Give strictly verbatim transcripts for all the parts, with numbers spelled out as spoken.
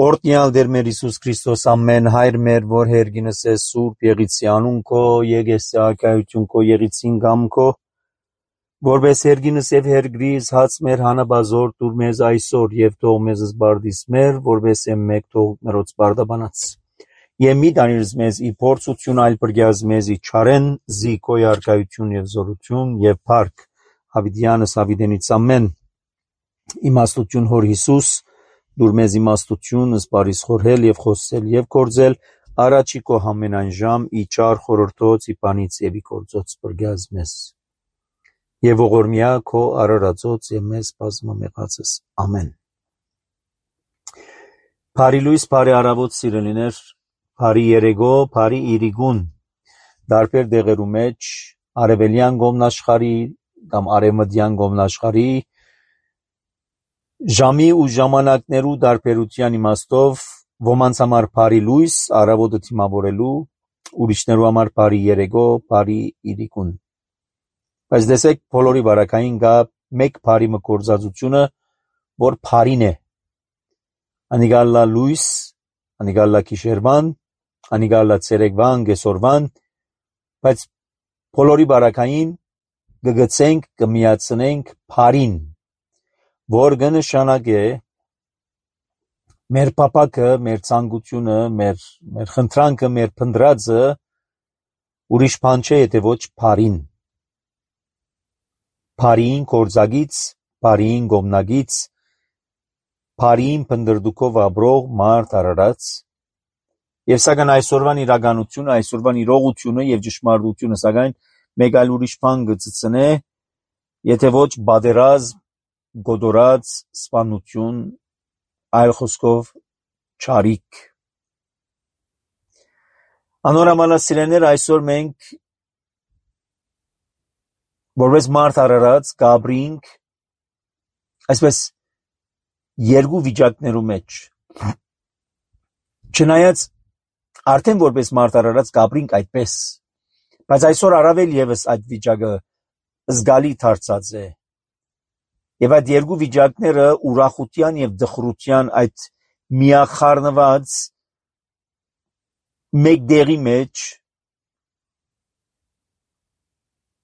Օրտնյալ դեր մեր Հիսուս Քրիստոս ամեն հայր մեր որ հերգինս է սուրբ եղիցի անուն քո եկես ակայություն քո եղիցին գամ քո որպես հերգինս եւ հերգրիս հաց մեր հանաբազոր դուր մեզ այսօր եւ թող մեզ զբարդիս մեր որպես մեկ թող մերոց բարդաբանած եւ մի դանիրս մեզ ի փորձություն այլ բրգյազ մեզ ի չարեն զի քո արկայություն եւ զորություն եւ փառք հավիդյանս հավիդենից ամեն իմաստություն հոր Հիսուս դուր մեզ իմաստություն, սպարիս խորհել և խոսել և կործել, առաջի քո ամենայն ժամ, ի չար խորհրդոց, ի բանից և ի գործոց բրգյազ մեզ։ Եվ ողորմյա քո արարածոց և մեզ բազմամեղածս։ Ամեն։ Բարի լույս, բարի առավոտ սիրելիներ, բարի երեգո, բարի իրիգուն, դարբեր դեղերու մեջ, արևելյան գոմնաշխարի կամ արևմտյան գոմնաշխարի Ժամի ու ժամանակներու դարբերության իմաստով ոմանց համար բարի լույս, առավոտը թիմավորելու, ուրիշներու համար բարի երեգո, բարի իրիկուն։ Բայց դեսեք բոլորի վարակային գա մեկ բարի մկործածությունը, որ բարին է։ Անիգալլա լույս, անիգալլա քիշերվան, անիգալլա ցերեկվան, գեսորվան, բայց բոլորի վարակային գգցենք, կմիացնենք բարին։ Որ կնշանակե մեր պապակը, մեր ցանկությունը, մեր մեր խնդրանքը, մեր փնդրածը ուրիշ բան չէ, եթե ոչ բարին։ Բարին կորձագից, բարին գոմնագից, բարին փնդրդուկով ապրող մարդ արարած։ Եվ սակայն այսօրվան իրականությունը, այսօրվան իրողությունը եւ ճշմարտությունը սակայն մեկ այլ ուրիշ բան կծծնե, եթե ոչ բادرազմ գոդորած սպանություն այլ խոսքով չարիք անորամալասիրեներ այսօր մենք որպես մարդ արարած գաբրինք այսպես երկու վիճակներու մեջ չնայած արդեն որպես մարդ արարած գաբրինք այդպես բայց այսօր առավել եւս այդ վիճակը զգալի դարձած է Եվ այդ երկու վիճակները ուրախության եւ դխրության այդ միախառնված մեկ դերի մեջ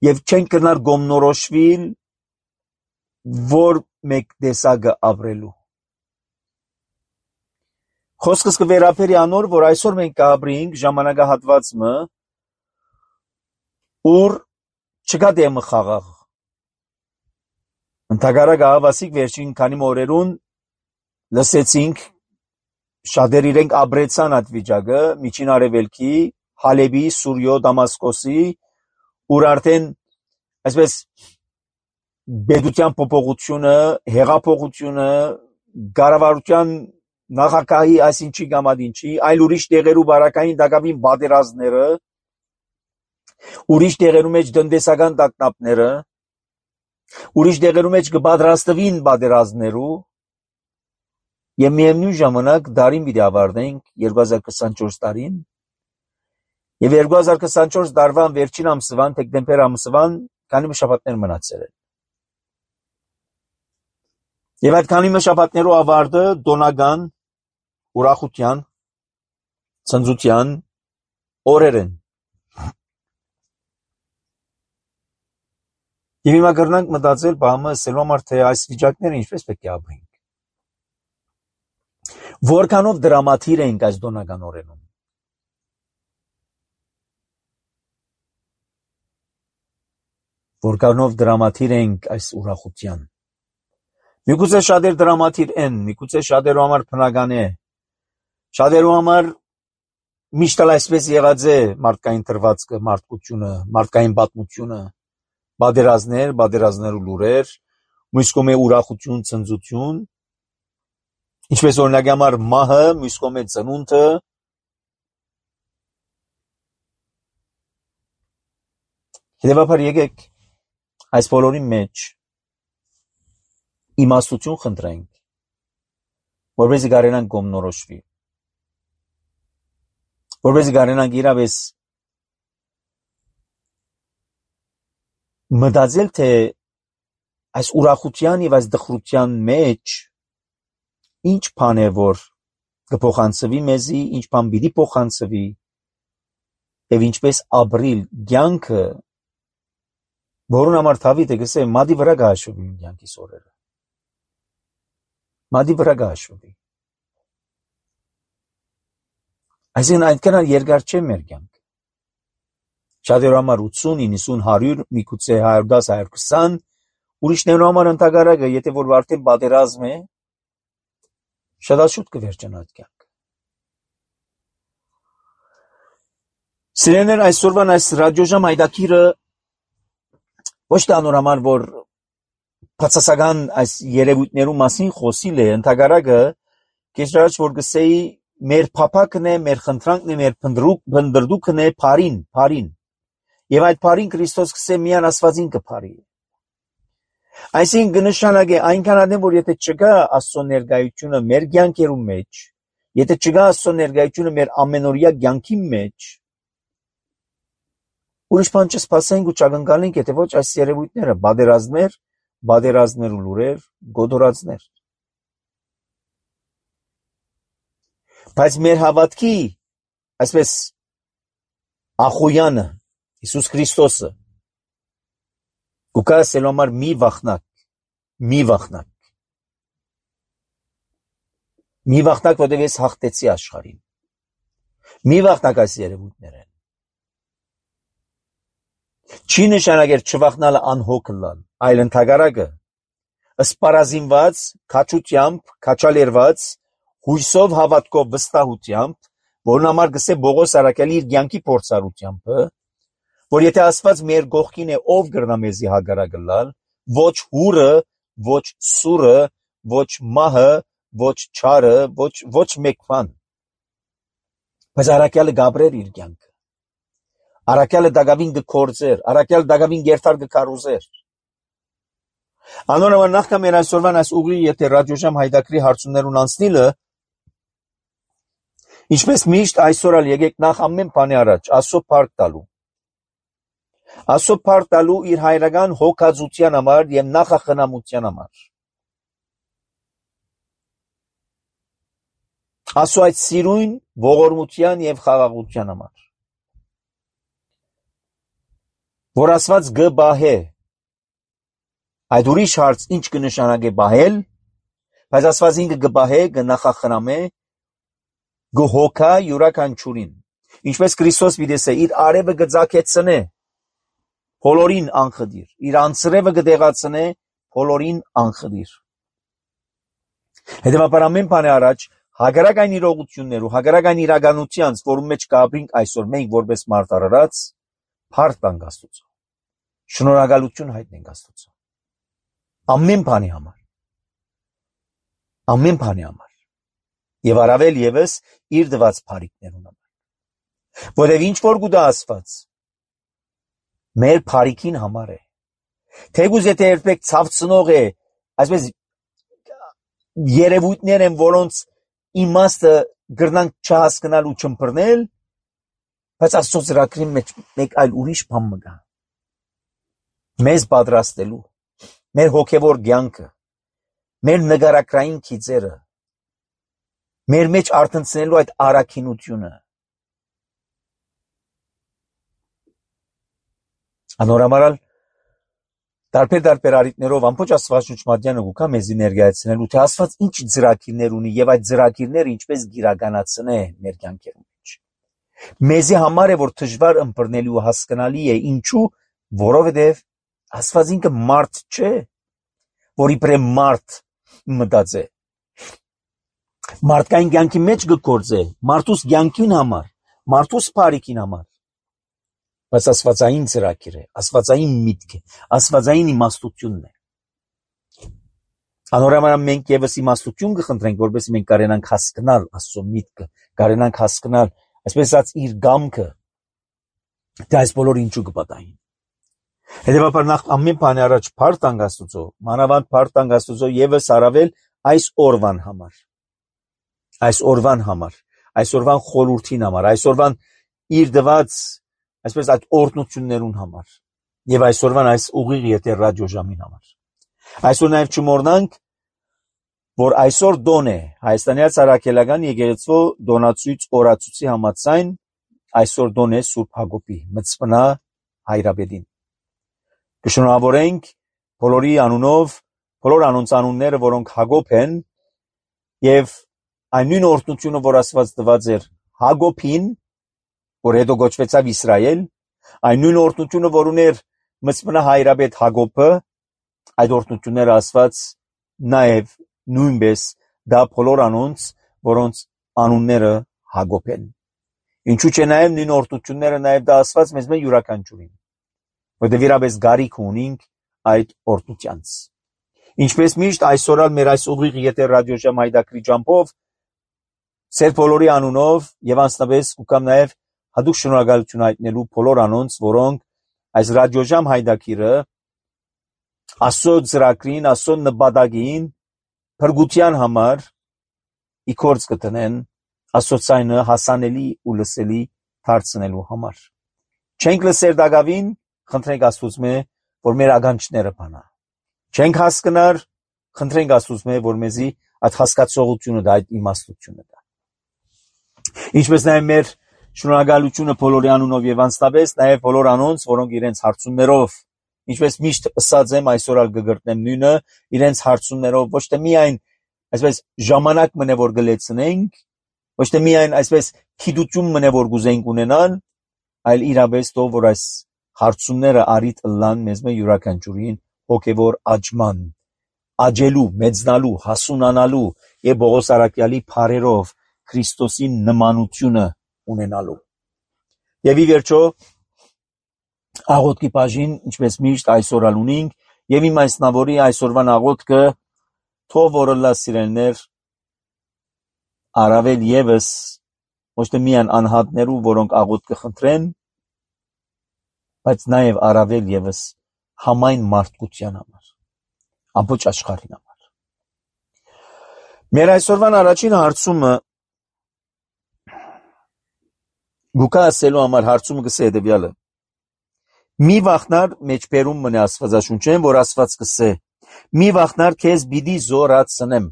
եւ չեն կնար գոմնորոշվիլ որ մեկ դեսագը ապրելու Խոսքս կվերապերի անոր որ այսօր մենք կապրենք ժամանակահատվածը ուր չկա դեմը խաղաղ Ընդհակառակը հավասիկ վերջին քանի օրերուն լսեցինք շատեր իրենք ապրեցան այդ վիճակը միջին արևելքի Հալեբի, Սուրիո, Դամասկոսի ուր արդեն այսպես բեդության փոփոխությունը, հեղափոխությունը, կառավարության նախագահի այսինչի գամադինչի, այլ ուրիշ տեղերու բարակային դակավին բادرազները, ուրիշ տեղերու մեջ տնտեսական տագնապները Ուրիշ դեղերու մեջ կպատրաստվին բادرազներու եւ միևնույն ժամանակ դարին պիտի ավարտենք երկու հազար քսանչորս տարին եւ երկու հազար քսանչորս տարվան վերջին ամսվան դեկտեմբեր ամսվան քանի շաբաթներ մնացել են եւ այդ քանի շաբաթներու ավարտը տոնական ուրախության ցնծության օրեր են Եվ հիմա կրնանք մտածել բամը ասելու համար թե այս վիճակները ինչպես պետք է ապրենք։ Որքանով դրամատիկ ենք այս տոնական օրերում։ Որքանով դրամատիկ ենք այս ուրախության։ Միգուցե շատեր դրամատիկ են, միգուցե շատերու համար բնական է։ Շատերու համար միշտ այսպես եղած է մարդկային դրվածքը, մարդկությունը, մարդկային պատմությունը Բادرազներ, բادرազներու լուրեր, մյուս կողմը ուրախություն, ցնծություն, ինչպես օրինակ համար մահը, մյուս կողմը ծնունդը, Հետևաբար եկեք այս բոլորի մեջ իմաստություն խնդրենք, որպեսզի կարենանք գոմնորոշվի, որպեսզի կարենանք իրավես մտածել թե այս ուրախության եւ այս դխրության մեջ ինչ բան է որ կփոխանցվի մեզի, ինչ բան պիտի փոխանցվի, եւ ինչպես ապրիլ կյանքը, որուն համար Դավիթը գսե մադի վրա գաշուվի կյանքի սորերը։ Մադի վրա գաշուվի։ Այսինքն այդքան երկար չէ մեր կյանքը։ Շատերու համար ութսուն, իննսուն, հարյուր, միգուցե հարյուր դաս, հարյուր քսան, ուրիշներու համար ընդհանրակը, եթե որ արդեն պատերազմ է, շատ շուտ կվերջանա այդ կյանքը։ Սիրելիներ, այսօրվան այս ռադիոժամ հայտակիրը ոչ թե անոր համար, որ բացասական այս երևույթներու մասին խոսիլ է, ընդհանրակը կեշրաջ որ գսեի մեր փափակն է, մեր խնդրանքն է, մեր փնդրդուքն է փարին, փարին։ Եվ այդ փարին Քրիստոս գսե միան Աստվածին կփարի։ Այսինքն կնշանակե այնքան adem որ եթե չկա Աստծո ներկայությունը մեր կյանքերու մեջ, եթե չկա Աստծո ներկայությունը մեր ամենօրյա կյանքի մեջ, ուրիշ բան չսպասենք ու չակնկալենք, եթե ոչ այս երևույթները, բادرազներ, բادرազներ ու լուրեր, գոդորածներ։ Բայց մեր հավատքի, այսպես Ախոյանը, Հիսուս Քրիստոսը, կուկա սելոմար մի վախնակ, մի վախնակ, մի վախնակ, որտեղ ես հաղթեցի աշխարհին, մի վախնակ այս երևույթներ են։ Չի նշանակեր չվախնալը անհոգ լալ, այլ ընդհակառակը, սպառազինված, քաչությամբ, քաչալերված, հույսով հավատքով վստահությամբ, որն համար գսե Բողոս Արաքյալի իր կյանքի փորձառությամբ, որ եթե Աստված մեր գողքին է, ով կրնա մեզի հագարակը լալ, ոչ հուրը, ոչ սուրը, ոչ մահը, ոչ չարը, ոչ ոչ մեկ բան։ Բայց Արաքյալը գաբրեր իր կյանքը։ Արաքյալը դակավին կկործեր, Արաքյալը դակավին գերտար կկարուզեր։ Անոնը նախքան մեր այսօրվան այս ուղի եթե ռադիոժամ հայտակրի հարցումներուն անցնիլը, ինչպես միշտ այսօր ալ եկեք նախ ամեն բանի առաջ Աստծո փառք տալու։ Աստծո փառք տալու իր հայրական հոգածության համար եւ նախախնամության համար։ Աստծո այդ սիրուն ողորմության եւ խաղաղության համար։ Որ Աստված գբահե, այդ ուրիշ հարց ինչ կնշանակե բահել, բայց Աստված ինքը գբահե, կնախախնամե, գհոգա յուրաքանչյուրին, ինչպես Քրիստոս պիտեսե իր արևը գծակեցնե, բոլորին անխդիր, իր անձրևը կդեղացնե, բոլորին անխդիր։ Հետևաբար ամեն բանի առաջ հագարական իրողություններու, հագարական իրականությանց, որում մեջ կապրինք այսօր մենք որպես մարդ արարած, փառք տանք Աստծո, շնորհակալություն հայտնենք Աստծո, ամեն բանի համար, ամեն բանի համար, եւ առավել եւս իր դված փառիկներուն համար, որովհետեւ ինչ որ գուտա Աստված, մեր փառիկին համար է, թեգուզ եթե երբեք ցավցնող է, այսպես երևույթներ են, որոնց իմաստը գրնանք չհասկանալ ու չըմբռնել, բայց Աստծո ծրագրի մեջ մեկ այլ ուրիշ բան մգա, մեզ պատրաստելու, մեր հոգևոր կյանքը, մեր նկարակրային քիծերը, մեր մեջ արտնցնելու այդ առաքինությունը։ Անորամարալ տարբեր տարբեր արիտներով ամբողջ Աստվածաշնչմատյանը գուկա մեզի ներկայացնելու, թե Աստված ինչ ծրագիրներ ունի եւ այդ ծրագիրները ինչպես գիրականացնե մեր կյանքերում մեջ։ Մեզի համար է որ դժվար ըմբռնելի ու հասկանալի է, ինչու, որովհետեւ Աստված ինքը մարդ չէ, որ իբրե մարդ մտածե։ Մարդկային կյանքի մեջ գործե, մարդուս կյանքին համար, մարդուս բարիքին համար։ Բայց աստվածային ծրագիր է, աստվածային միտք է, աստվածային իմաստությունն է։ Անորոման մենք եւս իմաստություն կխնդրենք, որովհետեւ մենք կարենանք հասկանալ Աստծո միտքը, կարենանք հասկանալ, այսպես ասած, իր գամքը, թե այս բոլորը ինչու կպատահին։ Հետևաբար նախ ամեն բանի առաջ փառք տանք Աստծո, մանավանդ փառք տանք Աստծո եւս առավել այս օրվան համար, այս օրվան համար, այս օրվան խորհրդին համար, այս օրվան իր դված, այսպես այդ օրհնություններուն համար եւ այսօրվան այս ուղիղ եթե ռադիոժամին համար։ Այսօր նաեւ չմոռնանք, որ այսօր դոն է Հայաստանի Արաքելական եկեղեցու դոնացույց օրացույցի համաձայն այսօր դոն է Սուրբ Հակոբի մծմնա հայրապետին։ Կշնորհավորենք բոլորի անունով, բոլոր անոնց անունները, որոնք Հակոբ են, եւ այն նույն օրհնությունը, որ Աստված տված էր Հակոբին, որ հետո գոչվեցավ Իսրայել, այն նույն օրհնությունը, որ ուներ մծմնա հայրապետ Հակոբը, այդ օրհնությունները Աստված նաեւ նույնպես դա բոլոր անոնց, որոնց անունները Հակոբ են։ Ինչու՞ չէ նաեւ նույն օրհնությունները նաեւ դա Աստված մեզ մե յուրաքանչյուրին, որտեղ իրապես գարիք ունենք այդ օրհնությանց։ Ինչպես միշտ այսօր ալ մեր այս ուղիղ եթե ռադիոժամ հայդակրի ջամփով ծեր բոլորի անունով եւ անձնապես կուկամ նաեւ հadoop շնորհակալություն հայտնելու բոլոր անոնց, որոնք այս ռադիոժամ հայդակիրը Աստծո ծրագրին, Աստծո նպատակին փրկության համար իքորձ կտնեն, Աստծո ցայնը հասանելի ու լսելի դարձնելու համար։ Չենք լսեր դակավին, խնդրենք Աստծո, որ մեր ականջները բանա։ Չենք հասկնար, խնդրենք Աստծո, որ մեզի այդ հասկացողությունը դա, այդ իմաստությունը դա։ Ինչպես նաև մեր շնորհակալությունը բոլորի անունով եւ անձնապես նաև բոլոր անոնց, որոնք իրենց հարցումներով, ինչպես միշտ ասած եմ, այսօր ալ կգրտնեմ նույնը, իրենց հարցումներով ոչ թե միայն այսպես ժամանակ մնե որ գլեցնենք, ոչ թե միայն այսպես քիդություն մնե որ գուզենք ունենալ, այլ իրապես թող որ այս հարցումները արիտ լան մեզ մե յուրաքանչյուրին հոգևոր աճման, աճելու, մեծնալու, հասունանալու եւ Պողոս Արաքյալի փարերով Քրիստոսի նմանությունը ունենալու։ Եվ ի վերջո աղոթքի բաժին, ինչպես միշտ այսօր ալ ունենք, եւ իմ այսնավորի այսօրվան աղոթքը թող որ լա սիրելներ առավել եւս ոչ թե միայն անհատներու, որոնք աղոթք կխնդրեն, բայց նաեւ առավել եւս համայն մարդկության համար, ամբողջ աշխարհին համար։ Մեր այսօրվան առաջին հարցումը գուկա ասելու համար հարցումը կսե հետևյալը. մի վախնար մեջբերում մնե Աստվածաշունչեն, որ Աստված կսե, մի վախնար քեզ պիտի զորացնեմ։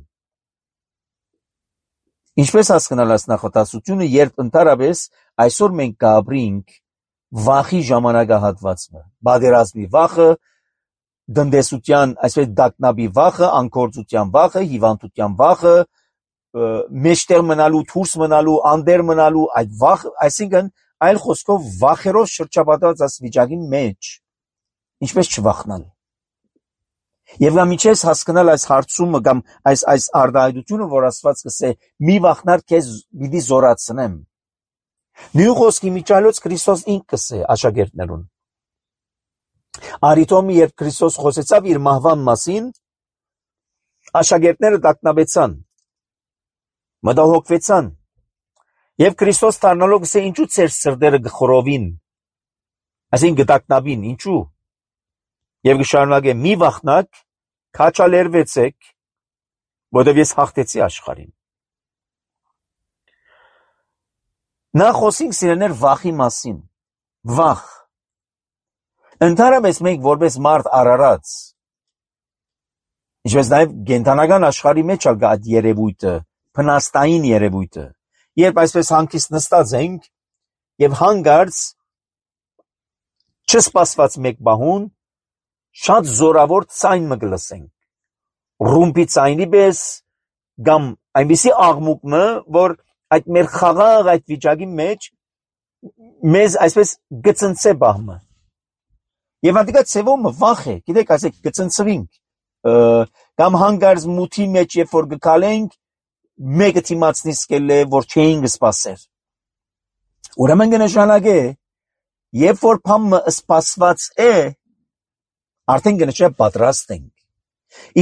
Ինչպես հասկանալ այս նախատասությունը, երբ ընդհանրապես այսօր մենք կապրենք վախի ժամանակահատվածը, բادرազմի վախը, դնդեսության, այսպես դակնաբի վախը, անկործության վախը, հիվանդության վախը, մեջտեղ մնալու, դուրս մնալու, անդեր մնալու, այդ վախ, այսինքն այլ խոսքով վախերով շրջապատված այս վիճակի մեջ, ինչպես չվախնալ։ Եվ նա միջես հասկանալ այս հարցումը կամ այս այս արտահայտությունը, որ Աստված կսե, մի վախնար քեզ պիտի զորացնեմ։ Նույն խոսքի միջալոց Քրիստոս ինքը կսե աշակերտներուն։ Արիտոմի երբ Քրիստոս խոսեցավ իր մահվան մասին, աշակերտները տակնաբեցան, մտահոգվեցան, եւ Քրիստոս դառնալով կսե ինչու ծեր սրտերը գխորովին, այսինքն գտակնաբին, ինչու, եւ կշարունակե մի վախնակ, քաչալերվեցեք, որովհետեւ ես հաղթեցի աշխարհին։ Նա խոսենք սիրելներ վախի մասին, վախ։ Ընդհանրապես մենք որպես մարդ արարած, ինչպես նաև կենդանական աշխարհի մեջ ալ կա այդ երևույթը, փնաստային երևույթը, երբ այսպես հանգիստ նստած ենք եւ հանգարց չսպասված մեկ բահուն շատ զորավոր ցայն մը կլսենք, ռումբի ցայնի պես կամ այնպիսի աղմուկ մը, որ այդ մեր խաղաղ այդ վիճակի մեջ մեզ այսպես գծնցե բահմը։ Եվ անդիկա ցևոմը վախ է, գիտեք, ասեք գծնցվինք, կամ հանգարց մութի մեջ երբ որ գկալենք, մեկը թիմացնի սկել է, որ չէինք սպասեր։ Ուրեմն կնշանակե, երբ որ բամը սպասված է, արդեն կնշա պատրաստ ենք։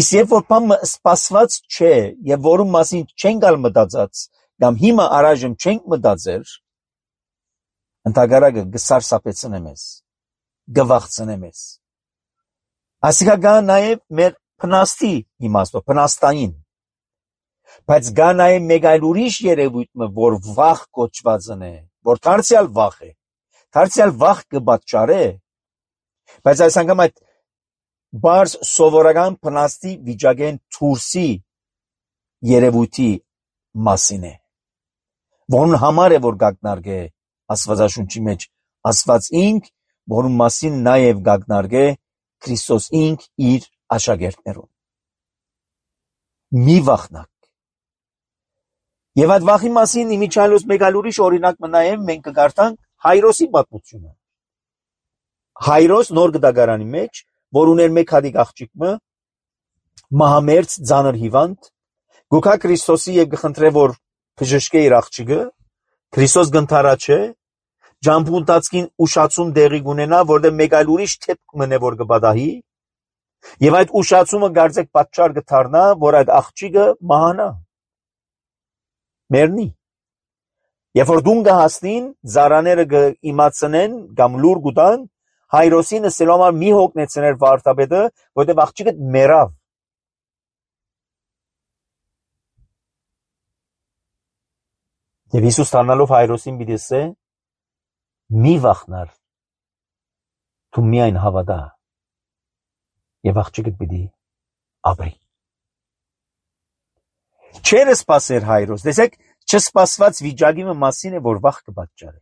Իսկ երբ որ բամը սպասված չէ, եւ որում մասին չենք ալ մտածած, կամ հիմա առայժմ չենք մտածեր, ընդհակառակը գսարսափեցնե մեզ, գվախցնե մեզ։ Ասիկա գա նաև մեր փնաստի իմաստով, փնաստային։ Բայց գա նաև մեկ այլ ուրիշ երևույթ, որ վախ կոչվածն է, որ դարձյալ վախ է, դարձյալ վախ կպատճառե, բայց այս անգամ այդ բարձ սովորական փնաստի վիճակեն դուրսի երևույթի մասին է, որն համար է, որ գագնարգե Աստվածաշունչի մեջ Աստված ինք, որում մասին նաև գագնարգե Քրիստոս ինք իր աշակերտներուն։ Մի վախնակ։ Եվ այդ վախի մասին իմիջիալոց մեկ այլ ուրիշ օրինակ մնայեմ մենք կգարտանք Հայրոսի պատմությունը։ Հայրոս նոր գդագարանի մեջ, որ ուներ մեկ հատիկ աղջիկը, մահամերձ ծանր հիվանդ, գուքա Քրիստոսի եւ գխնդրե որ բժշկե իր աղջիկը, Քրիստոս գընթարաչե, ջամփունտածքին ուշացում դեղի գունենա, որտեղ մեկ այլ ուրիշ թեփք մնե որ կբադահի, եւ այդ ուշացումը գարձեք պատճառ կդառնա, որ այդ աղջիկը մահանա։ Մեռնի։ Երբ որ դուն գահստին, զարաները կիմացնեն կամ լուր գուտան, Հայրոսին ասելու համար մի հոգնեցներ վարդապետը, որտեղ աղջիկը մեռավ։ Եվ Հիսուս դառնալով Հայրոսին պիտի ասե. մի վախնար, դու միայն հավատա, եւ աղջիկը պիտի ապրի։ Չեր սպասեր Հայրոս, տեսեք, չսպասված վիճակի մասին է, որ վախ կպատճառի։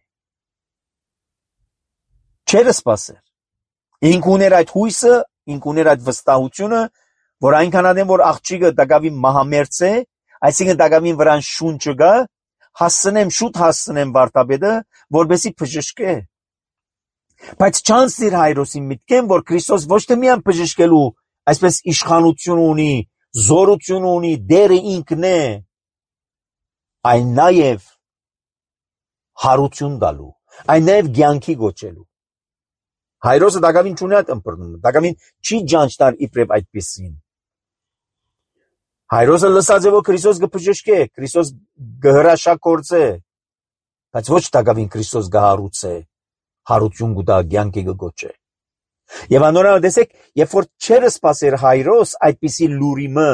Չեր սպասեր։ Ինք ուներ այդ հույսը, ինք ուներ այդ վստահությունը, որ այնքան ադեմ, որ աղջիկը դակավին մահամերձ է, այսինքն դակավին վրան շունչը գա, հասցնեմ, շուտ հասցնեմ վարդապետը, որպեսզի բժշկե։ Բայց չանցիր Հայրոսին միտքեն, որ Քրիստոս ոչ թե միայն բժշկելու, այսպես իշխանություն ունի, զորություն ունի, դերը ինքն է, այն նաև հարություն տալու, այն նաև կյանքի գոչելու։ Հայրոսը դակավին չունի այդ ըմբռնումը, դակավին չի ջանչտար իբրև այդպիսին։ Հայրոսը լսած է, որ Քրիստոս կբժշկե, Քրիստոս կհրաշագործե, բայց ոչ դակավին Քրիստոս կհարուցե, հարություն կտա, կյանքի կգոչե։ Եվ անորալ տեսեք, երբ որ չեր սպասեր Հայրոս այդպիսի լուրիմը,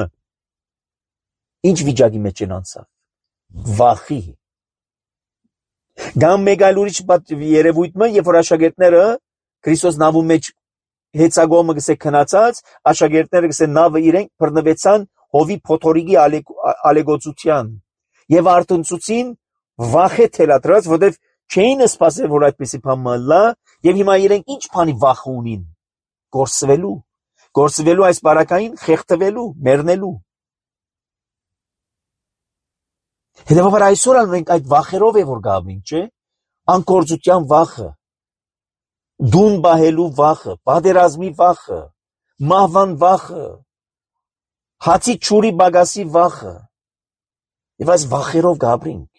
ինչ վիճակի մեջ են անցավ։ Վախի։ Գամ մեկ այլ ուրիշ երևույթը, երբ որ աշակերտները Քրիստոս նավու մեջ հեծագոմը գսե քնացած, աշակերտները գսե նավը իրենք բռնվեցան հովի փոթորիկի ալեգոցության եւ արտնցուցին վախե թելադրած, որտեւ չէին սպասել, որ այդպեսի բան մլա, եւ հիմա իրենք ինչ բանի վախ ունին, կորսվելու, կորսվելու այս բարակային, խեղդվելու, մեռնելու։ Հետևաբար այսօր մենք այդ վախերով է որ գաբինք, չէ՞, անկորձության վախը, դուն բահելու վախը, պատերազմի վախը, մահվան վախը, հացի չուրի բագասի վախը, եւ այս վախերով գաբրինք։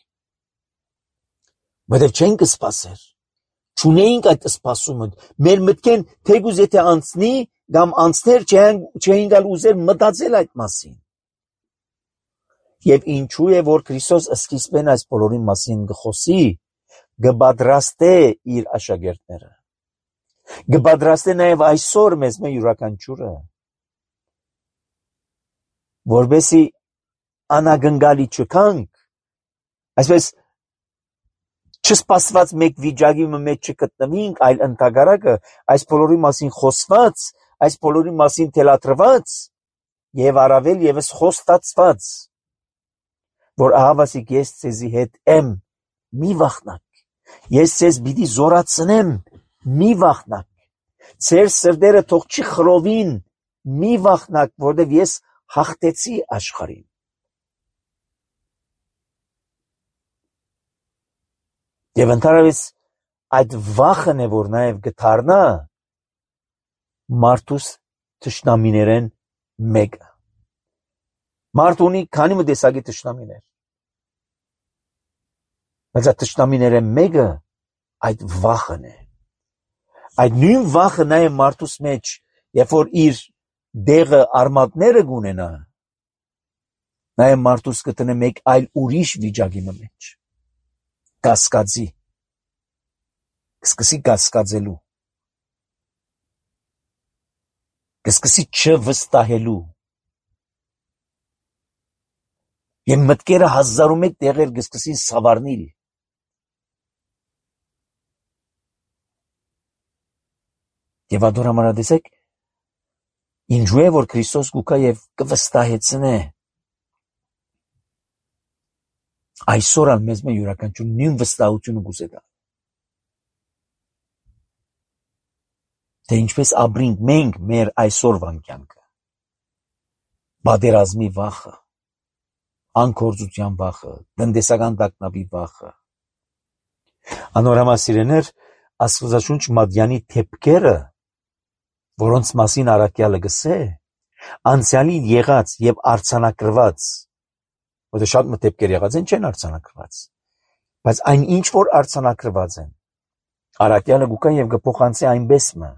Բայց չենք սպասեր, չունեինք այդ սպասումը, մեր մտքեն թեկուզ եթե անցնի, կամ անցներ չէին գալ ուզեր մտածել այդ մասին։ Եվ ինչու է, որ Քրիստոս սկիզբեն այս բոլորի մասին գխոսի, գպատրաստե իր աշակերտները, գպատրաստե նաև այսօր մեզ մե յուրաքանչյուրը, որպեսզի անագնգալի չկանք, այսպես չսպասված մեկ վիճակի մեջ չգտնվինք, այլ ընդհակառակը այս բոլորի մասին խոսված, այս բոլորի մասին թելադրված եւ առավել եւս խոստացված, որ ահավասիկ ես ցեզի հետ եմ, մի վախնակ, ես ցեզ պիտի զորացնեմ, մի վախնակ, ձեր սրտերը թող չի խռովին, մի վախնակ, որտեղ ես հաղթեցի աշխարհին։ Եվ ընդհանրապես այդ վախն է, որ նաև գթարնա մարդուս թշնամիներեն մեկը։ Մարդ ունի քանի մը տեսակի թշնամիներ։ Բայց այդ թշնամիներեն մեկը այդ վախն է։ Այդ նույն վախը նաև մարդուս մեջ, երբ որ իր դեղը արմատները գունենա, նաև մարդուս կտնե մեկ այլ ուրիշ վիճակի մեջ։ Կասկածի, կսկսի կասկածելու, կսկսի չվստահելու, և մտքերը հազար ու մեկ տեղեր կսկսին սավառնիլ։ Եվ ադոր համարադեսեք, ինչու է, որ Քրիստոս գուկա և կվստահեցնե Այսօր ալ մեզ մե յուրաքանչյուր նույն վստահությունը գուզե դա։ Թե ինչպես ապրենք մենք մեր այսօրվան կյանքը։ Բادرազմի վախը, անկորձության վախը, տնտեսական տագնապի վախը։ Անորամասիրեներ, Աստվածաշունչ Մատյանի թեփքերը, որոնց մասին առաքյալը գսե, անցյալի եղած եւ արձանագրված, որտեղ շատ մտեփքեր եղած են չեն արձանագրված, բայց այն ինչ որ արձանագրված են, առաքյալը գուկա եւ գփոխանցի այնպես մը,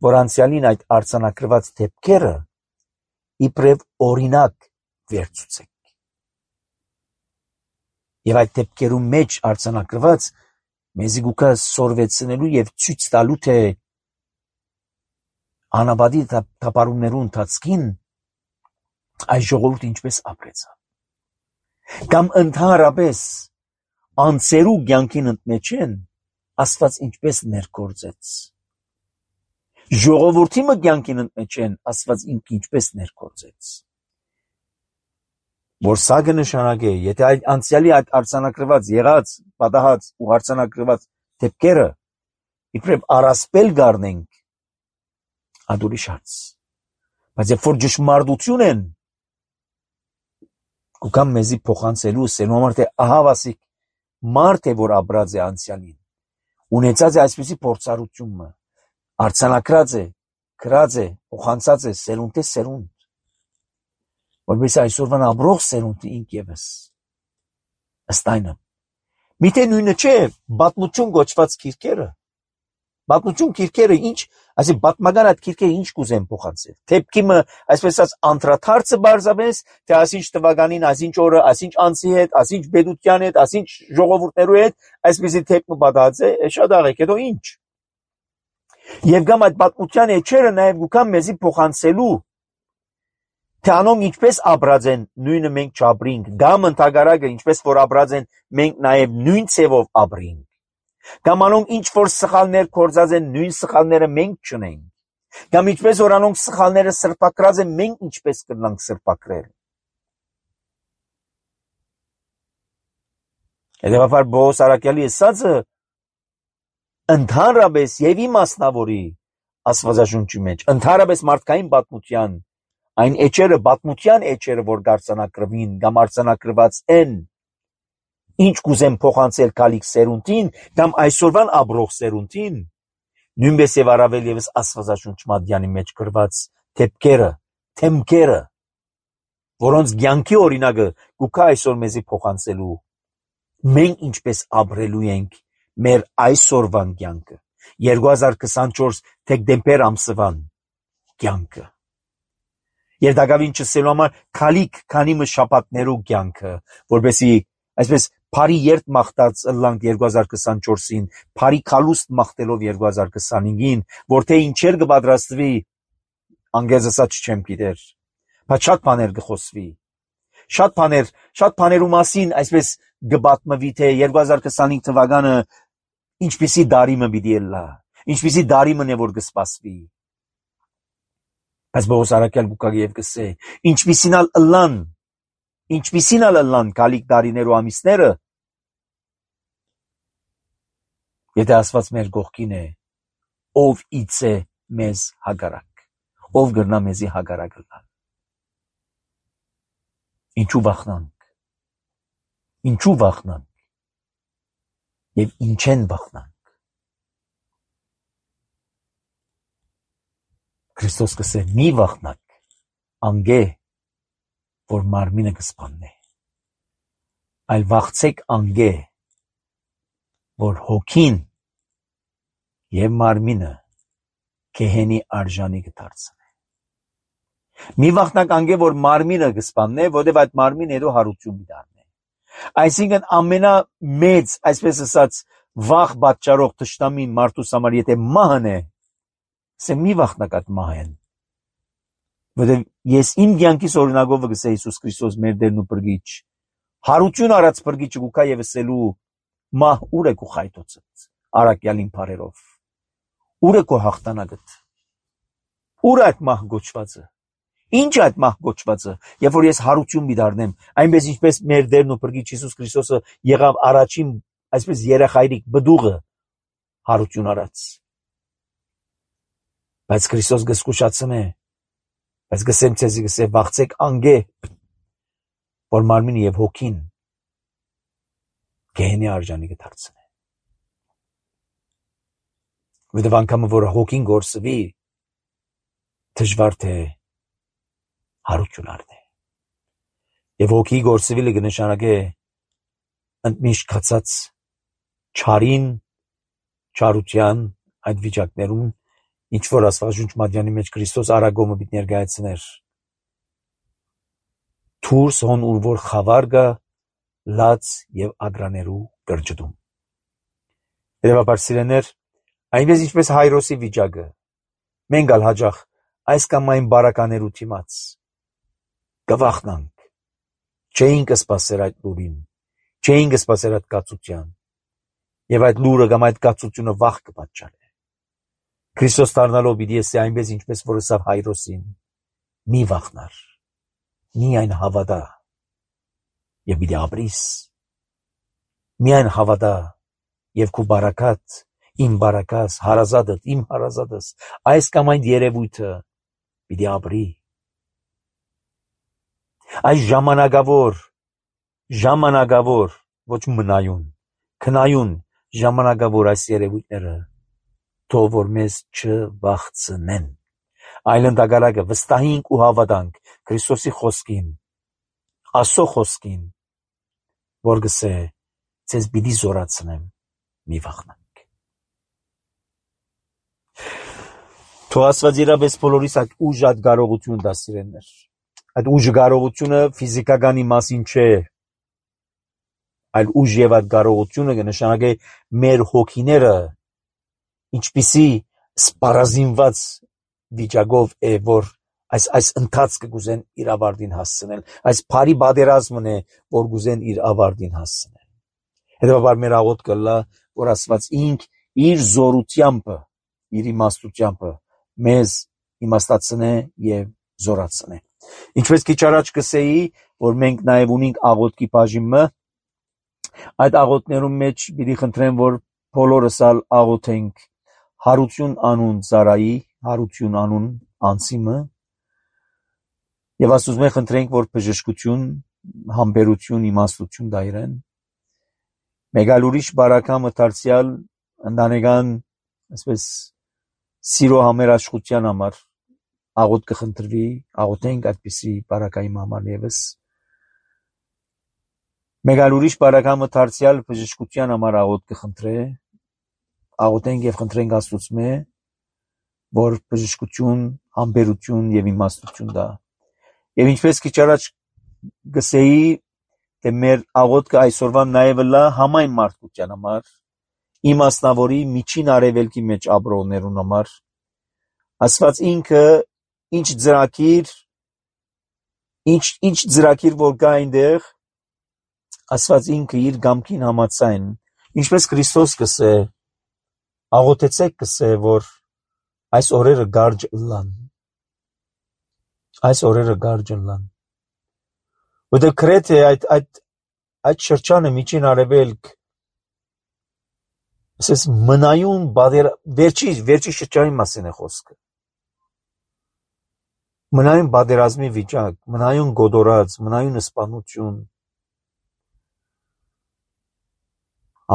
որ անցյալին այդ արձանագրված թեփքերը իբրև օրինակ վերցուցեք։ Եվ այդ թեփքերում մեջ արձանագրված մեզի գուկա սորվեցնելու եւ ցույց տալու թե անաբադի տապարումներու ընթացքին այս ժողովուրդը ինչպես ապրեցավ։ Կամ ընդհանրապես անցերու կյանքին ընդմեջեն Աստված ինչպես ներկործեց։ Ժողովրդի մը կյանքին ընդմեջեն Աստված ինչպես ներկործեց։ Որ սա կնշանակե, եթե այդ անցյալի այդ արձանագրված եղած, պատահած ու արձանագրված դեպքերը իբրև առասպել գարնենք, ադուրի շարց։ Բայց երբ որ ճշմարտություն են, կուքամ մեզի փոխանցելու սենու համար թե ահավասիկ մարդ է, որ ապրած է անցյալին, ունեցած է այսպիսի փորձառությունը, արձանագրած է, գրած է, փոխանցած է սերունդ է սերունդ, որպես այսօրվան ապրող սերունդը ինք եւս ըստ այնը։ Միթե նույնը չէ պատմություն գոչված քիրքերը։ Պատմություն քիրքերը ինչ, այսի պատմական այդ քիրքերը ինչ կուզեն փոխանցել։ Թեփքի մը այսպես ասած անդրադարձը բարձավես, թե ասինչ տվականին, ասինչ օրը, ասինչ անցի հետ, ասինչ բեդության հետ, ասինչ ժողովուրդներու հետ, այսպեսի թեփքը պատահած է, շատ աղեք, հետո ինչ։ Եվ գամ այդ պատմության էջերը նաև գուքան մեզի փոխանցելու թե անոնք ինչպես ապրած են, նույնը մենք չապրինք, կամ ընդհակառակը ինչպես որ ապրած են, մենք նաև նույն ցևով ապրինք։ Կամ անոնք ինչ որ սխալներ կործած են, նույն սխալները մենք չունենք։ Կամ ինչպես որ անոնք սխալները սրբակրած են, մենք ինչպես կնանք սրբակրել։ Հետևաբար Պողոս առաքյալի ասածը ընդհանրապես եւ իմաստնավորի Աստվածաշունչի մեջ, ընդհանրապես մարդկային պատմության այն էջերը, պատմության էջերը, որ դարձանակրվին կամ արձանագրված են, ինչ կուզեն փոխանցել կալիք սերունդին կամ այսօրվան ապրող սերունդին, նույնպես եւ առավել եւս Աստվածաշունչ Մատյանի մեջ գրված թեփքերը, թեմքերը, որոնց կյանքի օրինակը գուքա այսօր մեզի փոխանցելու, մենք ինչպես ապրելու ենք մեր այսօրվան կյանքը, երկու հազար քսանչորս դեկտեմբեր ամսվան կյանքը։ Երդակավին չսելու համար քալիք քանի մը շապատներու կյանքը, որբեսի այսպես Փարի երթ մաղթած ըլլանք երկու հազար քսանչորսին, Փարի քալուստ մաղթելով երկու հազար քսանհինգին, որ թե ինչեր կպատրաստվի, անգեզ ասած չեմ գիտեր, բայց շատ բաներ կխոսվի, շատ բաներ, շատ բաներու մասին այսպես կպատմվի, թե երկու հազար քսանհինգ թվականը ինչպիսի դարի մը պիտի ելլա, ինչպիսի դարի մն է որ կսպասվի։ Բայց Պողոս առաքյալ գուկա եւ կսե, ինչպիսին ալ ըլլան, ինչպիսին ալ ըլլան կալիք դարիներու ամիսները, եթե Աստված մեր կողքին է, ով իցե մեզ հագարակ, ով գրնա մեզի հագարակ ըլլան։ Ինչու վախնանք, ինչու վախնանք եւ ինչեն վախնանք։ Քրիստոս կսե մի վախնակ, անգե, որ մարմինը կսպաննե, այլ վախցեք անգե, որ հոգին եւ մարմինը գեհենի արժանի կդարձնե։ Մի վախնակ անգե, որ մարմինը կսպաննե, որտեւ այդ մարմինը հետո հարություն դառնե։ Այսինքն ամենամեծ, այսպես ասած, վախ պատճառող թշնամին մարդուս համար եթե մահն է, սե մի վախնակ այդ մահեն, որտեւ ես իմ կյանքիս օրինակով կսե Հիսուս Քրիստոս մեր Տերն ու Փրկիչ, հարություն արած Փրկիչը գուկա եւ ասելու մահ ուր է քո խայտոցդ, առաքյալին բարերով, ուր է քո հաղթանակդ, ուր այդ մահ գոչվածը, Ինչ է այդ մահ կոչվածը, երբ որ ես հարություն մի դառնեմ, այնպես ինչպես մեր Տերն ու Փրկիչ Հիսուս Քրիստոսը եղավ առաջին, այսպես երեխայրիկ բդուղը հարություն արած։ Բայց Քրիստոս գսկուշացնե, բայց գսեմ ցեզի գսե վախցեք անգե, որ մարմինը եւ հոգին գեհենի արժանի կդարձնե։ Որովհետեւ անգամ որ հոգին գործվի, դժվար թե հարություն առնե։ Եվ հոգի գործվելը կնշանակե ընդմիշտ կացած չարին, չարության այդ վիճակներում, ինչ որ Աստվածաշունչ Մատթեոս մեջ Քրիստոս արագոմը պիտի ներկայացներ։ Թուրս հոն ուր որ խավար գա, լաց եւ ագրաներու կրճտում։ Երևաբար սիրեներ, այնպես ինչպես Հայրոսի վիճակը, մենք ալ հաջող այս կամ այն բարականերու թիմաց կվախնանք, չէինք սպասեր այդ լուրին, չէինք սպասեր այդ կացության, եւ այդ լուրը կամ այդ կացությունը վախ կպատճառե։ Քրիստոս դառնալով պիտի ասի այնպես ինչպես որ ասավ Հայրոսին, մի վախնար, միայն հավատա եւ պիտի ապրիս, միայն հավատա եւ քու բարակատ, իմ բարակաս, հարազատդ, իմ հարազատս, այս կամ այն երևույթը պիտի ապրի։ Այս ժամանակավոր, ժամանակավոր, ոչ մնայուն, քնայուն ժամանակավոր այս երևույթները թող որ մեզ չվախցնեն, այլ ընդհակառակը վստահենք ու հավատանք Քրիստոսի խոսքին, Աստծո խոսքին, որ գսե ցեզ պիտի զորացնեմ, մի վախնանք։ Թող Աստված իրապես բոլորիս այդ ուժ այդ կարողություն տա սիրելիներ։ Այդ ուժը կարողությունը ֆիզիկականի մասին չէ, այլ ուժ եւ այդ կարողությունը կնշանակե մեր հոգիները ինչպիսի սպառազինված վիճակով է, որ այս այս ընթացքը գուզեն իր ավարտին հասցնել, այս բարի բادرազմն է, որ գուզեն իր ավարտին հասցնել։ Հետևաբար մեր աղոթքը լա, որ Աստված ինք իր զորությամբ, իր իմաստությամբ մեզ իմաստացնե եւ զորացնե։ Ինչպես քիչ առաջ կսեի, որ մենք նաեւ ունենք աղոթքի բաժինը, այդ աղոթներում մեջ պիտի խնդրեմ, որ բոլորս ալ աղոթենք հարություն անուն Զարայի, հարություն անուն անցիմը, եւ Աստծո մենք խնդրենք, որ բժշկություն, համբերություն, իմաստություն դայրեն։ Մեկ այլ ուրիշ բարակամը դարձյալ ընտանեկան, այսպես սիրո համերաշխության համար աղոթ կխնդրվի, աղոթենք այդպիսի բարակայի համար եւս։ Մեկ այլ ուրիշ բարակամը դարձյալ բժշկության համար աղոթ կխնդրե, աղոթենք եւ խնդրենք Աստծո, որ բժշկություն, համբերություն եւ իմաստություն տա։ Եվ ինչպես քիչ առաջ գսեի, թե մեր աղոթքը այսօրվա նաեւ լա համայն մարդկության համար, իմաստնավորի միջին արևելքի մեջ ապրողներուն համար, Աստված ինքը ինչ ծրագիր, ինչ ինչ ծրագիր որ կա այնտեղ, Աստված ինքը իր գամքին համաձայն, ինչպես Քրիստոս կսե, աղոթեցեք կսե, որ այս օրերը գարջ լան, այս օրերը գարջ լան, որտեղ քրեթե այդ այդ այդ շրջանը միջին արևելք, ասես մնայուն բادر վերջի վերջի շրջանի մասին է խոսքը, մնայուն բادرազմի վիճակ, մնայուն գոդորած, մնայուն սպանություն,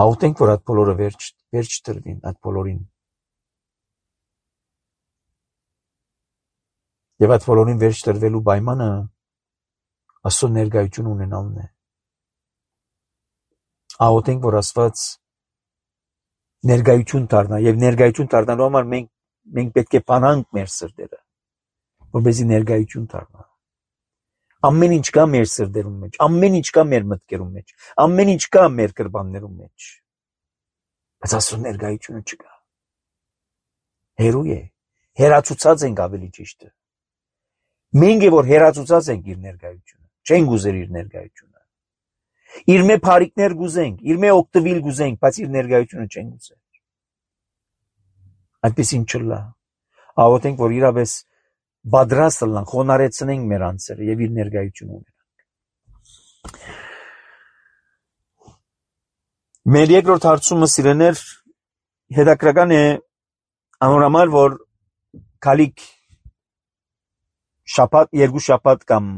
աղոթենք, որ այդ բոլորը վերջ վերջ տրվին, այդ բոլորին, եւ այդ բոլորին վերջ տրվելու պայմանը Աստծո ներկայություն ունենալն է։ Աղոթենք, որ Աստված ներկայություն դառնա եւ ներկայություն դառնալու համար մենք մենք պետք է բանանք մեր սրտերը, որպեսզի ներկայություն դառնա։ Ամեն ինչ կա մեր սրտերում մեջ, ամեն ինչ կա մեր մտքերում մեջ, ամեն ինչ կա մեր կրբաններում մեջ, բայց Աստծո ներկայությունը չկա։ Հերու է, հերացուցած ենք ավելի ճիշտ է։ Մենք է որ հերացուցած ենք իր ներկայությունը, չենք ուզեր իր ներկայությունը։ Իր մե բարիկներ գուզենք, իր մե օգտվել գուզենք, բայց իր ներկայությունը չենք ուզեր։ Այդպես ինչ չլա։ Աղոթենք, որ իրապես բادرաստ լան, խոնարեցնենք մեր անձերը եւ իր ներկայությունը ունենանք։ Մեր երկրորդ հարցումը սիրեներ հետաքրական է անորամար, որ քալիք շաբաթ, երկու շաբաթ կամ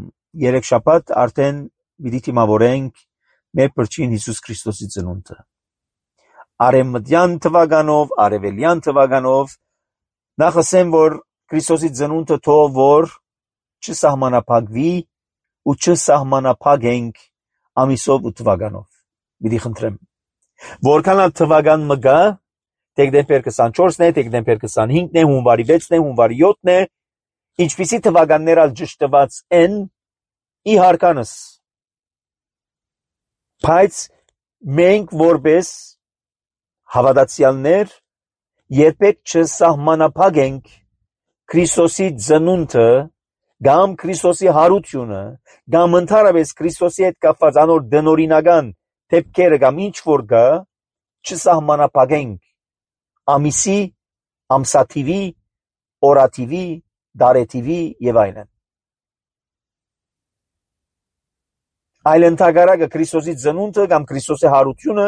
երեք շաբաթ արդեն պիտի թիմավորենք մեր Փրկին Հիսուս Քրիստոսի ծնունդը։ Արևմտյան թվականով, արևելյան թվականով նախ ասեմ, որ Քրիստոսի ծնունդը թող որ չսահմանափակվի ու չսահմանափակենք ամիսով ու թվականով։ Պիտի խնդրեմ, որքան էլ թվական մը գա, դեկտեմբեր քսանչորսն է, դեկտեմբեր քսանհինգն է, հունվարի վեցն է, հունվարի յոթն է, ինչպիսի թվականներ ալ ճշտված են ի հարկանս, բայց մենք որպես հավատացյալներ երբեք չսահմանափակենք Քրիստոսի ծնունդը կամ Քրիստոսի հարությունը կամ ընդհանրապես Քրիստոսի հետ կապված անոր դնորինական դեպքերը կամ ինչ որ գա չսահմանափակենք ամիսի, ամսաթիվի, օրաթիվի, դարեթիվի եւ այլն։ Այլ ընդհակառակը Քրիստոսի ծնունդը կամ Քրիստոսի հարությունը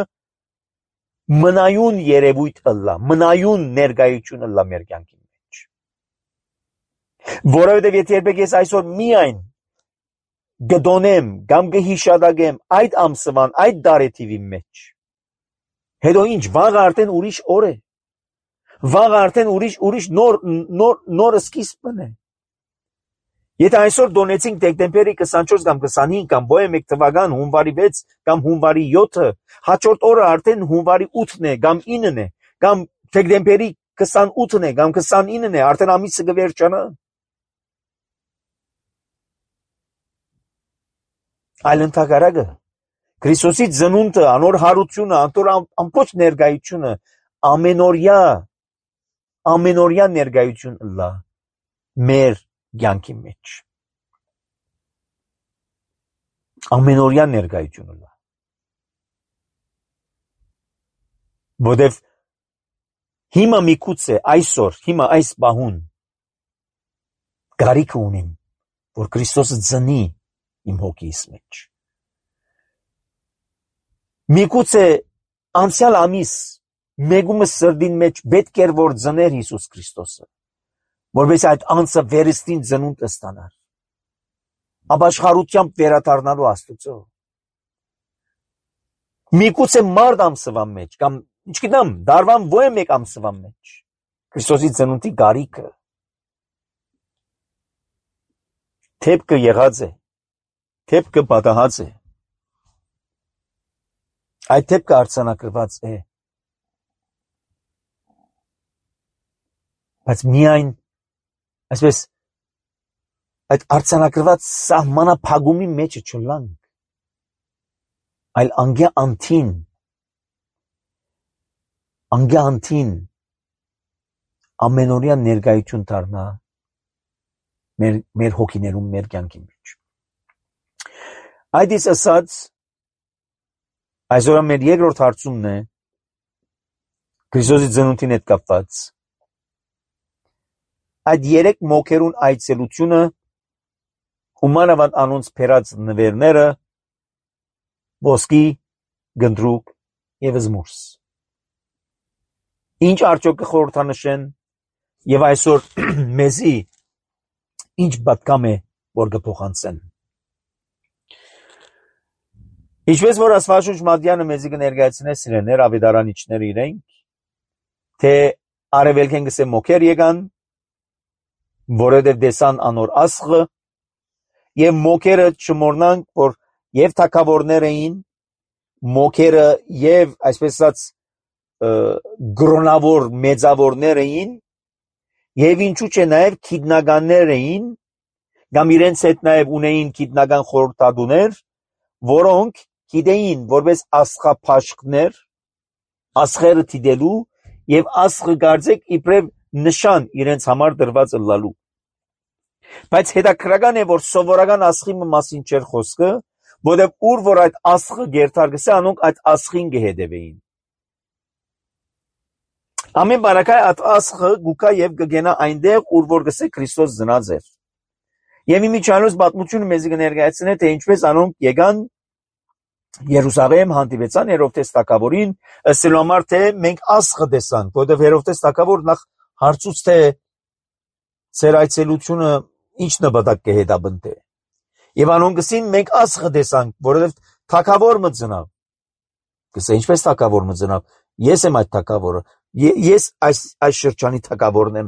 մնայուն երևույթ ըլլա, մնայուն ներկայություն ըլլա մեր կյանքի մեջ։ Որովհետև եթե երբեք ես այսօր միայն գդոնեմ կամ կհիշադակեմ այդ ամսվան, այդ դարեթիվի մեջ, հետո ինչ, վաղը արդեն ուրիշ օր է, վաղը արդեն ուրիշ ուրիշ նոր նոր նոր սկիզբն է։ Եթե այսօր դոնեցինք դեկտեմբերի քսանչորս կամ քսանհինգ կամ բոյե մեկ թվական հունվարի վեց կամ հունվարի յոթը, հաջորդ օրը արդեն հունվարի ութն է կամ ինն է, կամ դեկտեմբերի քսանութն է կամ քսանինն է, արդեն ամիսը կվերջանա։ Այլ ընդհակառակը Քրիստոսի ծնունդը, անոր հարությունը, անոր ամբողջ ներկայությունը ամենօրյա ամենօրյա ներկայություն լա մեր կյանքի մեջ։ Ամենօրյա ներկայություն լա։ Որտեվ հիմա միգուցե այսօր, հիմա այս բահուն գարիք ունիմ, որ Քրիստոսը ծնի իմ հոգիս մեջ։ Միգուցե անցյալ ամիս մեգումս սրդին մեջ պետք էր որ ծներ Հիսուս Քրիստոսը, որպես այդ անձը վերստին ծնունդ ստանար, ապաշխարությամբ վերադառնալու Աստծո։ Միգուցե մարտ ամսվա մեջ կամ ինչգիտեմ, դարվան ո մեկ ամսվա մեջ Քրիստոսի ծնունդի գարիքը թեփքը եղած է, թեփքը պատահած է, այդ թեփքը արձանագրված է, բայց միայն այսպես այդ արձանագրված սահմանափակումի մեջ չլանք, այլ անգե անթին, անգե անթին ամենօրյա ներկայություն դառնա մեր մեր հոգիներում, մեր կյանքի մեջ։ Այդ իսկ ասած, այսօր մեր երկրորդ հարցումն է Քրիստոսի ծնունդին հետ կապված։ Այդ երեք մոքերուն այցելությունը հումանավանդ անոնց փերած նվերները, ոսկի, գնդրուկ եւ զմուրս։ Ինչ արդյոք կխորհրդանշեն եւ այսօր մեզի ինչ պատկամ է որ կփոխանցեն։ Ինչպես որ Աստվածաշունչ Մատթեանը մեզի կներկայացնե սիրեներ ավետարանիչները իրենք, թե արևելքեն գսե մոքեր եկան, որովհետև տեսան անոր ասղը, եւ մոքերը չմոռնանք, որ եւ թագավորներ էին, մոքերը եւ այսպես ասած գրոնավոր մեծավորներ էին, եւ ինչու՞ չէ նաեւ քիդնականներ էին, կամ իրենց հետ նաեւ ունեին քիդնական խորհրդատուներ, որոնք գիտեին որպես ասղափաշխներ, ասղերը դիտելու եւ ասղը կարծեք իբրև նշան իրենց համար դրված ըլլալու։ Բայց հետաքրական է, որ սովորական ասղի մասին չէր խոսքը, որովհետև ուր որ այդ ասղը գերտարգսե, անոնք այդ ասղին կհետևեին։ Ամեն բարակայ at ասխը գուկա եւ գգենա այնտեղ ուր որ գսե Քրիստոս ծնած էր։ Եվ իմիջիալոց պատմությունը մեզ կներկայացնե թե ինչպես անոնք եկան Երուսաղեմ հանդիպեցան Հերովտես թագավորին, ըստ համար թե մենք ասխը տեսանք, որովհետեւ Հերովտես թագավոր նախ հարցուց թե ծեր այցելությունը ինչ նպատակ կհետաբնտե։ Եվ անոնք գսին մենք ասխը տեսանք, որովհետեւ թագավոր մծնավ։ Գսե ինչպես թագավոր մծնավ։ Ես եմ այդ թագավորը։ Ես այս այս շրջանի թագավորն եմ։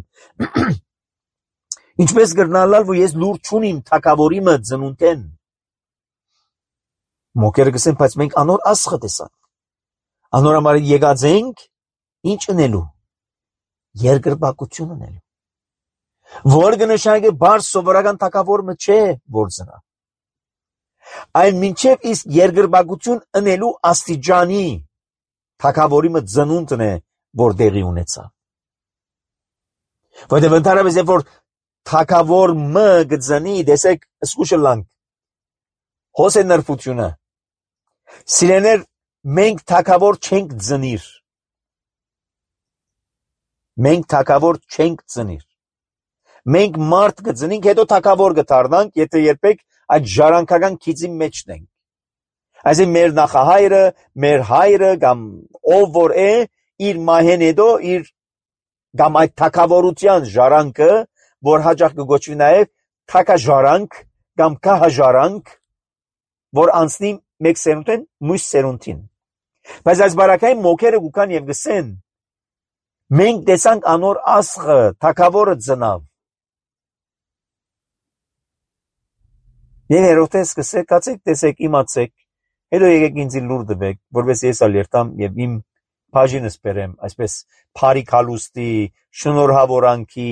Ինչպես գրնալալ, որ ես լուր չունիմ թագավորի մը ծնունդեն։ Մոկերը գսեն, բայց մենք անոր ասխը տեսանք։ Անոր համար եկած ենք ինչ ունելու։ Երկրպագություն ունելու։ Որ կնշանակի բարձ սովորական թագավոր մը չէ, որ ծնա։ Այն մինչև իսկ երկրպագություն ունելու աստիճանի թագավորի մը ծնունդն է, որ դեղի ունեցավ։ Որտեղ ընդհանրապես երբ որ թագավոր մը գծնի, դեսեք սկուշլանք։ Հոսե նրբությունը։ Սիրեներ, մենք թագավոր չենք ծնիր։ Մենք թագավոր չենք ծնիր։ Մենք մարդ կծնենք, հետո թագավոր կդառնանք, եթե երբեք այդ ժառանգական քիծի մեջն ենք։ Այսինքն մեր նախահայրը, մեր հայրը կամ ով որ է, իր մահեն հետո իր կամ այդ թագավորության ժառանգը, որ հաճախ կգոչվի նաև թագաժառանգ կամ քահաժառանգ, որ անցնի մեկ սերունդեն մյուս սերունդին։ Բայց այս բարակային մոքերը գուքան եւ գսեն, մենք տեսանք անոր ասխը, թագավորը ծնավ։ Եվ Հերովտես գսե, կացեք, տեսեք, իմացեք, հետո եկեք ինձ լուր տվեք, որպես ես ալ երթամ եւ իմ բաժինս բերեմ, այսպես փարի քալուստի, շնորհավորանքի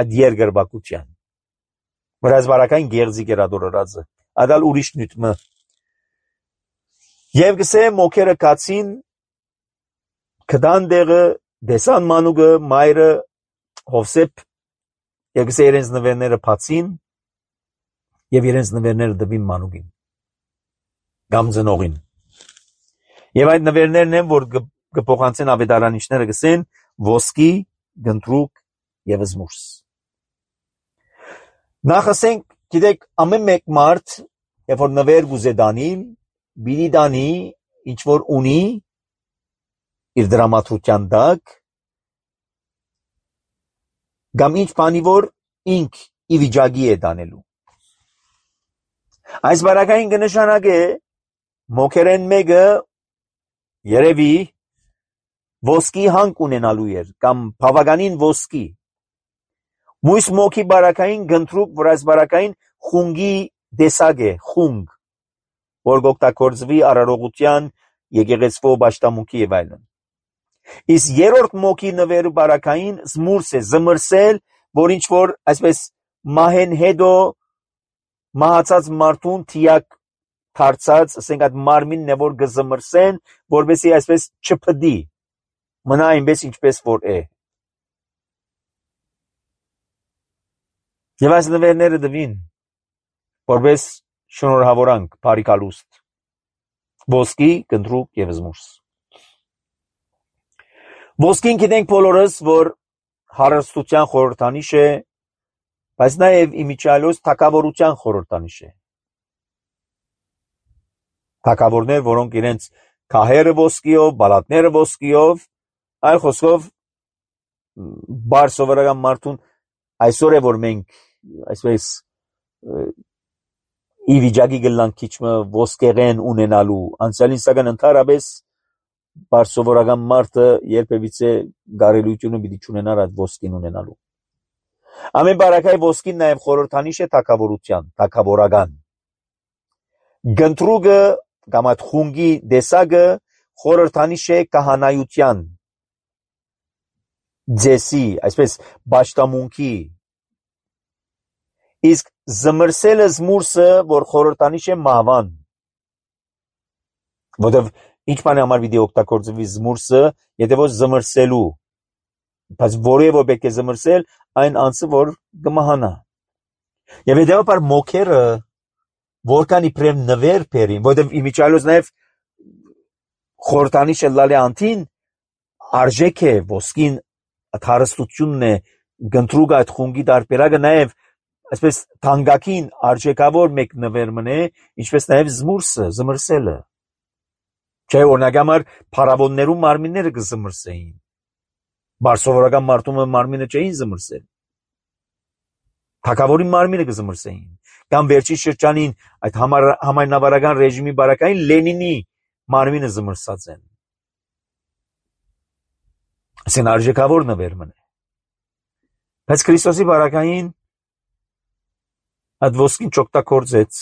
այդ երկրպագության։ Որ այս բարակային գերզիկ էր ադորածը, ադալ ուրիշ նյութ մը։ Եվ գսե մոքերը կացին, կդան դեղը, դեսան մանուկը, մայրը, Հովսեփ, եւ գսե իրենց նվերները բացին, եւ իրենց նվերները դվին մանուկին, կամ ծնողին։ Եվ այդ նվերներն են, որ կփոխանցեն ավետարանիչները գսեն, ոսկի, գնդրուկ եւ զմուրս։ Նախասենք, գիտեք, ամեն մեկ մարդ, երբ որ նվեր գուզե դանիլ, բիդի դանի, ինչ որ ունի, իր դրամատրության տակ, կամ ինչ բանի որ ինք ի վիճակի է դանելու։ Այս բարակային կնշանակե մոքերեն մեկը երևի ոսկի հանք ունենալու էր, կամ բավականին ոսկի։ Մույս մոքի բարակային գնդրուկ, որ այս բարակային խունգի դեսակ է, խունգ, որ գօգտագործվի արարողության, եկեղեցվո պաշտամունքի եւ այլն։ Իսկ երրորդ մոքի նվերը բարակային զմուրս է, զմրսել, որ ինչ որ այսպես մահեն հետո մահացած մարդուն թիակ դարձած, ասենք այդ մարմինն է, որ գզմրսեն, որպեսզի այսպես չփդի, մնա այնպես ինչպես որ է։ Եվ այս նվերները դվին, որպես շնորհավորանք, բարիկալուստ, ոսկի, գնդրուկ եւ զմուրս։ Ոսկին գիտենք բոլորս, որ հարստության խորհրդանիշ է, բայց նաև իմիջիալոց թագավորության խորհրդանիշ է։ Թագավորներ, որոնք իրենց քահերը ոսկիով, բալատները ոսկիով, այլ խոսքով բար սովորական մարդուն այսօր է որ մենք այսպես ի վիճակի գլանք քիչմը ոսկեղեն ունենալու, անցյալին սակայն ընդհանրապես բար սովորական մարդը երբևիցե գարելությունը պիտի չունենար այդ ոսկին ունենալու։ Ամեն բարակայ ոսկին նաև խորհրդանիշ է թագավորության, թագավորական։ Գնդրուկը կամ այդ խունգի դեսակը խորհրդանիշ է կահանայության, ձեսի, այսպես պաշտամունքի։ Իսկ զմրսելը զմուրսը, որ խորհրդանիշ է մահվան։ Որտեւ ինչ բան է համար պիտի օգտագործվի զմուրսը, եթե ոչ զմրսելու, բայց որևէ պետք է զմրսել այն անձը, որ կմահանա։ Եվ հետևաբար մոքերը որքան իբրև նվեր բերին, որտեւ իմիջիալոց նաև խորհրդանիշը լալե անտին արժեք է, ոսկին այդ հարստությունն է, գնդրուկ այդ խունգի դարբերակը նաև այսպես թանկագին արժեքավոր մեկ նվեր մնե, ինչպես նաև զմուրսը, զմրսելը։ Չէ, օրինակ համար փարավոններու մարմինները կզմրսեին։ Բարսովորական մարդու մարմինը չէին զմրսել։ Թագավորի մարմինը կզմրսեին։ Կամ վերջի շրջանին այդ համայնավարական ռեժիմի բարակային Լենինի մարմինը զմրսած են։ Ասեն արժեքավոր նվեր մնե։ Բայց Քրիստոսի բարակային այդ ոսկին չօգտագործեց,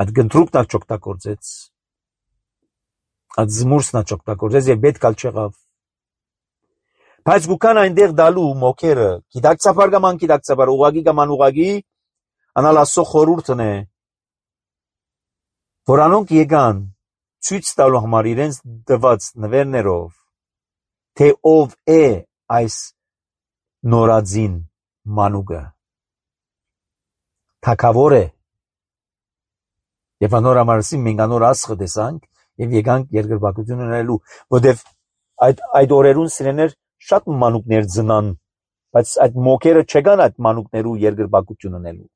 այդ գնդրուկն չօգտագործեց, այդ զմուրսն չօգտագործեց եւ պետք ալ չեղավ։ Բայց գուքան այնտեղ դալու մոքերը, գիտակցաբար կամ անգիտակցաբար, ուղագի կամ անուղագի, անալ Աստծո խորհուրդն է, որ անոնք եկան ցույց տալու համար իրենց դված նվերներով, թե ով է այս նորածին մանուկը, թագավոր է, եւ անոր համարսին մենք անոր ասխը տեսանք եւ եկանք երկրպագություն ունենալու, որտեւ այդ այդ օրերուն սիրեներ շատ մանուկներ ծնան, բայց այդ մոքերը չեկան այդ մանուկներու երկրպագություն ունենալու,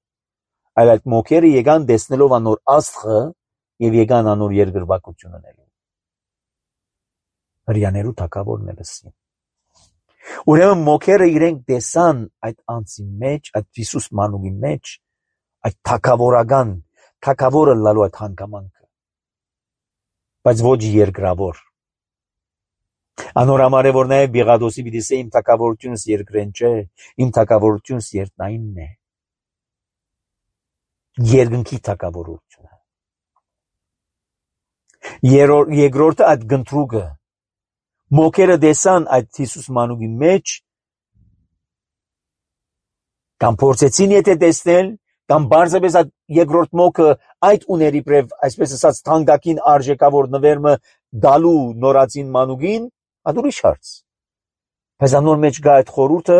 այլ այդ մոքերը եկան տեսնելով անոր աստղը եւ եկան անոր երկրպագություն ունենալու։ Հрьяներու թագավորն է լսին։ Ուրեմն մոքերը իրենք տեսան այդ անձի մեջ, այդ Հիսուս մանուկի մեջ, այդ թագավորական, թագավորը լալու այդ հանգամանքը, բայց ոչ երկրավոր։ Անոր համար է որ նաև Բիղադոսի պիտի ասե իմ թագավորությունս երկրեն չէ, իմ թագավորությունս երկնայինն է, երկնքի թագավորությունը։ Երկրորդը այդ գնդրուկը, մոքերը տեսան այդ Հիսուս մանուկի մեջ, կամ փորձեցին եթե տեսնել, կամ բարձրապես այդ երկրորդ մոքը այդ ուների պրև, այսպես ասած թանկագին արժեքավոր նվերմը դալու նորածին մանուկին, այդ ուրիշ հարց։ Բայց անոր մեջ գա այդ խորհուրդը,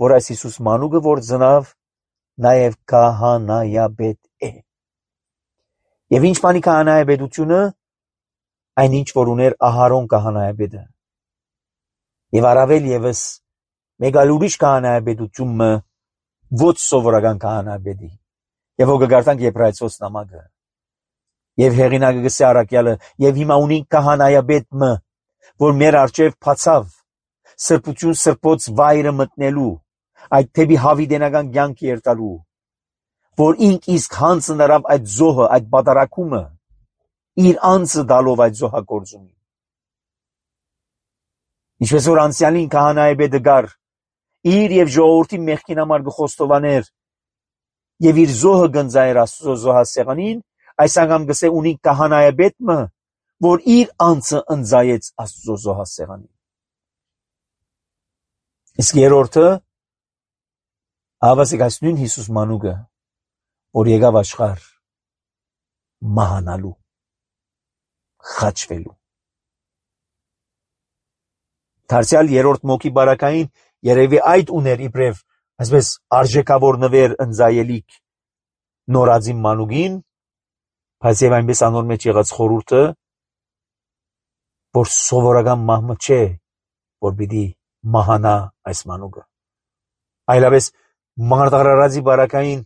որ այս Հիսուս մանուկը որ ծնավ, նաև քահանայապետ է։ Եվ ինչ բանի քահանայապետությունը, այն ինչ որ ուներ Ահարոն քահանայապետը։ Եվ առավել եւս մեկ այլ ուրիշ քահանայապետությունը ոչ սովորական քահանայապետի։ Եվ ո գարտանք Եբրայեցոս նամակը։ Եվ հեղինակը գսե առաքյալը, եւ հիմա ունի քահանայապետը, որ մեր արջև փացավ, սրբություն սրբոց վայրը մտնելու, այդ թեպի հավիտենական կյանք երթալու, որ ինք իսկ հանձը նրավ այդ զոհը, այդ բادرակումը, իր անձը դալով այդ զոհագործումին։ Ինչպես որ անցյալին քահանայապետը գար, իր եւ ժողովրդի մեղքին համար գխոստովաներ, եւ իր զոհը գնձայր Աստծո զոհասեղանին, այս անգամ գսե ունի քահանայապետը, որ իր անձը ընձայեց Աստծո զոհասեղանին։ Իսկ երրորդը, հավասիկ այս նույն Հիսուս մանուկը, որ եկավ աշխարհ մահանալու, խաչվելու։ Դարձյալ երրորդ մոքի բարակային երևի այդ ուներ իբրև, այսպես արժեքավոր նվեր ընձայելիք նորածին մանուկին, բայց եւ այնպես անոր մեջ եղած խորհուրդը, որ սովորական մահմը չէ, որ պիտի մահանա այս մանուկը։ Այլապես մարտարարածի բարակային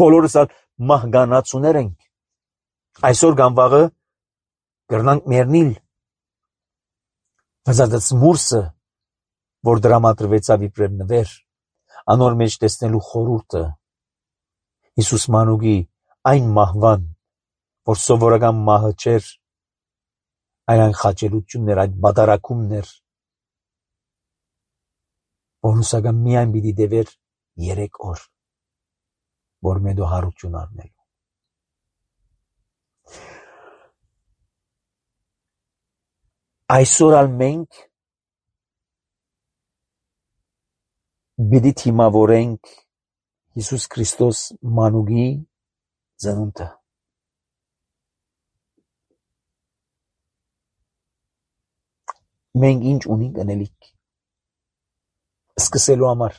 բոլորս մահկանացուներ ենք։ Այսօր կամ վաղը կրնանք մեռնիլ։ Բայց այդ մուրսը, որ դրամատրվեցավ իբրև նվեր, անոր մեջ տեսնելու խորհուրդը, Հիսուս մանուկի այն մահվան, որ սովորական մահը չէր, այն խաչելություններ, այդ բادرակումներ, բոնուսական միայն պիտի դևեր երեք օր, որ մեդո հարություն առնելու։ Այսօր ալ մենք պիտի թիմավորենք Հիսուս Քրիստոս մանուկի ծնունդը։ Մենք ինչ ունենք անելիք սկսելու համար,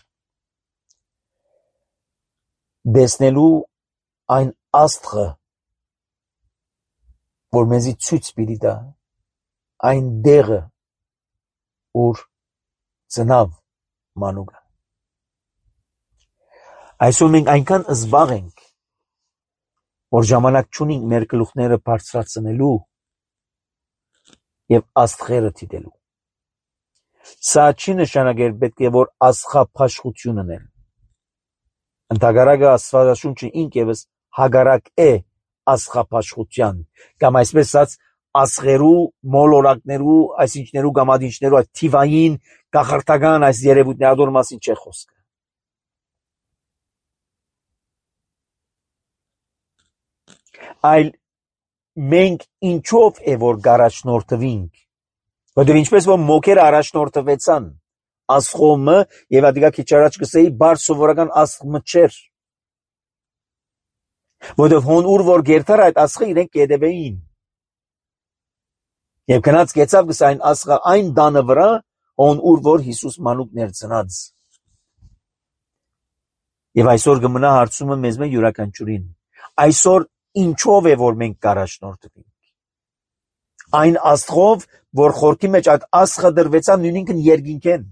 դեսնելու այն աստղը, որ մեզի ցույց պիտի տա, այն դեղը, ուր ծնավ մանուկը։ Այսօր մենք այնքան զբաղ ենք, որ ժամանակ չունենք մեր գլուխները բարձրացնելու եւ աստղերը դիտելու։ Սա չի նշանակել պետք է որ աստղափաշխություն ունեն։ Ընդհակառակը Աստվածաշունչը ինքևս հագարակ է աստղափաշխության, կամ այսպես ասած աստղերու, մոլորակներու, այսինչներու կամ ադինչներու այդ թիվային կախարդական այս երևույթների մասին չէ խոսքը։ Այլ մենք ինչով է որ գարաշնորթվինք, որտեղ ինչպես որ մոքերը առաջնորդվեցան աստղոմը եւ ադիգա քիչ առաջ կսեի բար սովորական աստղը չէր, որտեղ հոն ուր որ գերտար այդ աստղը իրենք կեդեվեին եւ գնաց կեցավ գս այն աստղը այն դանը վրա հոն ուր որ Հիսուս մանուկ ներծնած եւ այսօր կմնա հարցումը մեզ մե յուրաքանչյուրին այսօր ինչով է որ մենք կառաջնորդվենք այն աստղով որ խորքի մեջ այդ աստղը դրվեցան նույնինքն երկինքեն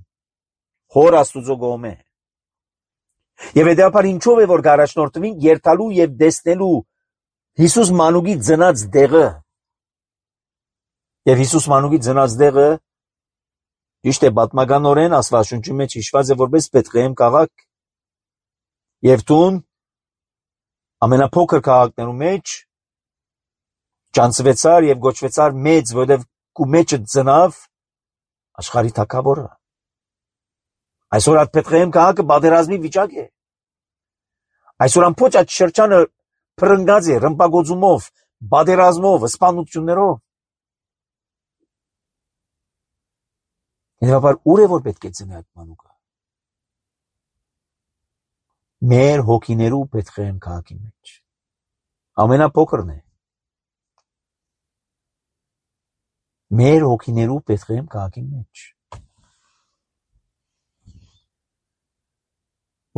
հոր աստուծո գոմե եւ հետեւաբար ինչով է որ կառաջնորդվենք երթալու եւ տեսնելու Հիսուս մանուկի ծնած դեղը եւ Հիսուս մանուկի ծնած դեղը ճիշտ է պատմականորեն Աստվածաշունչի մեջ հիշված է որպես Բեթղեհեմ քաղաք եւ տուն ամենափոքր քաղաքներու մեջ ճանցվեցար եւ գոչվեցար մեծ, որովհետեւ կու մեջը ծնավ աշխարհի թագավորը։ Այսօր այդ Բեթղեհեմ քաղաքը պատերազմի վիճակ է։ Այսօր ամբողջ այդ շրջանը փրկած է ռմբակոծումով, պատերազմով, սպանություններով։ Հետևաբար ուր է որ պետք է ծնի այդ մանուկը։ Մեր հոգիներու Բեթղեհեմ քաղաքի մեջ ամենափոքրն է մեր հոգիներու Բեթղեհեմ քաղաքի մեջ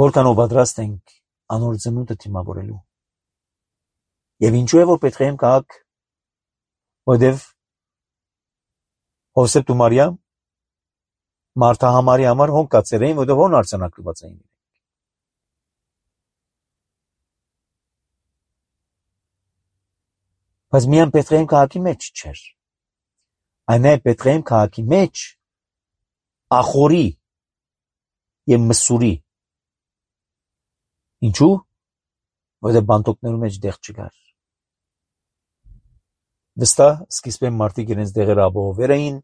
որքանով պատրաստ ենք անոր ծնունդը դիմավորելու եւ ինչու է որ Բեթղեհեմ քաղաք որտեւ Հովսեփ ու Մարիամ Մարթահամարի համար հոն կացեր էին որտեւ հոն արձանագրված էին բայց միայն Բեթղեհեմ քաղաքի մեջ չէր այն է Բեթղեհեմ քաղաքի մեջ ախորի եւ մսուրի ինչու որտեղ բանտոկներու մեջ դեղ չկար վստահ սկիզբեն մարդիկ իրենց դեղերը ապահովել էին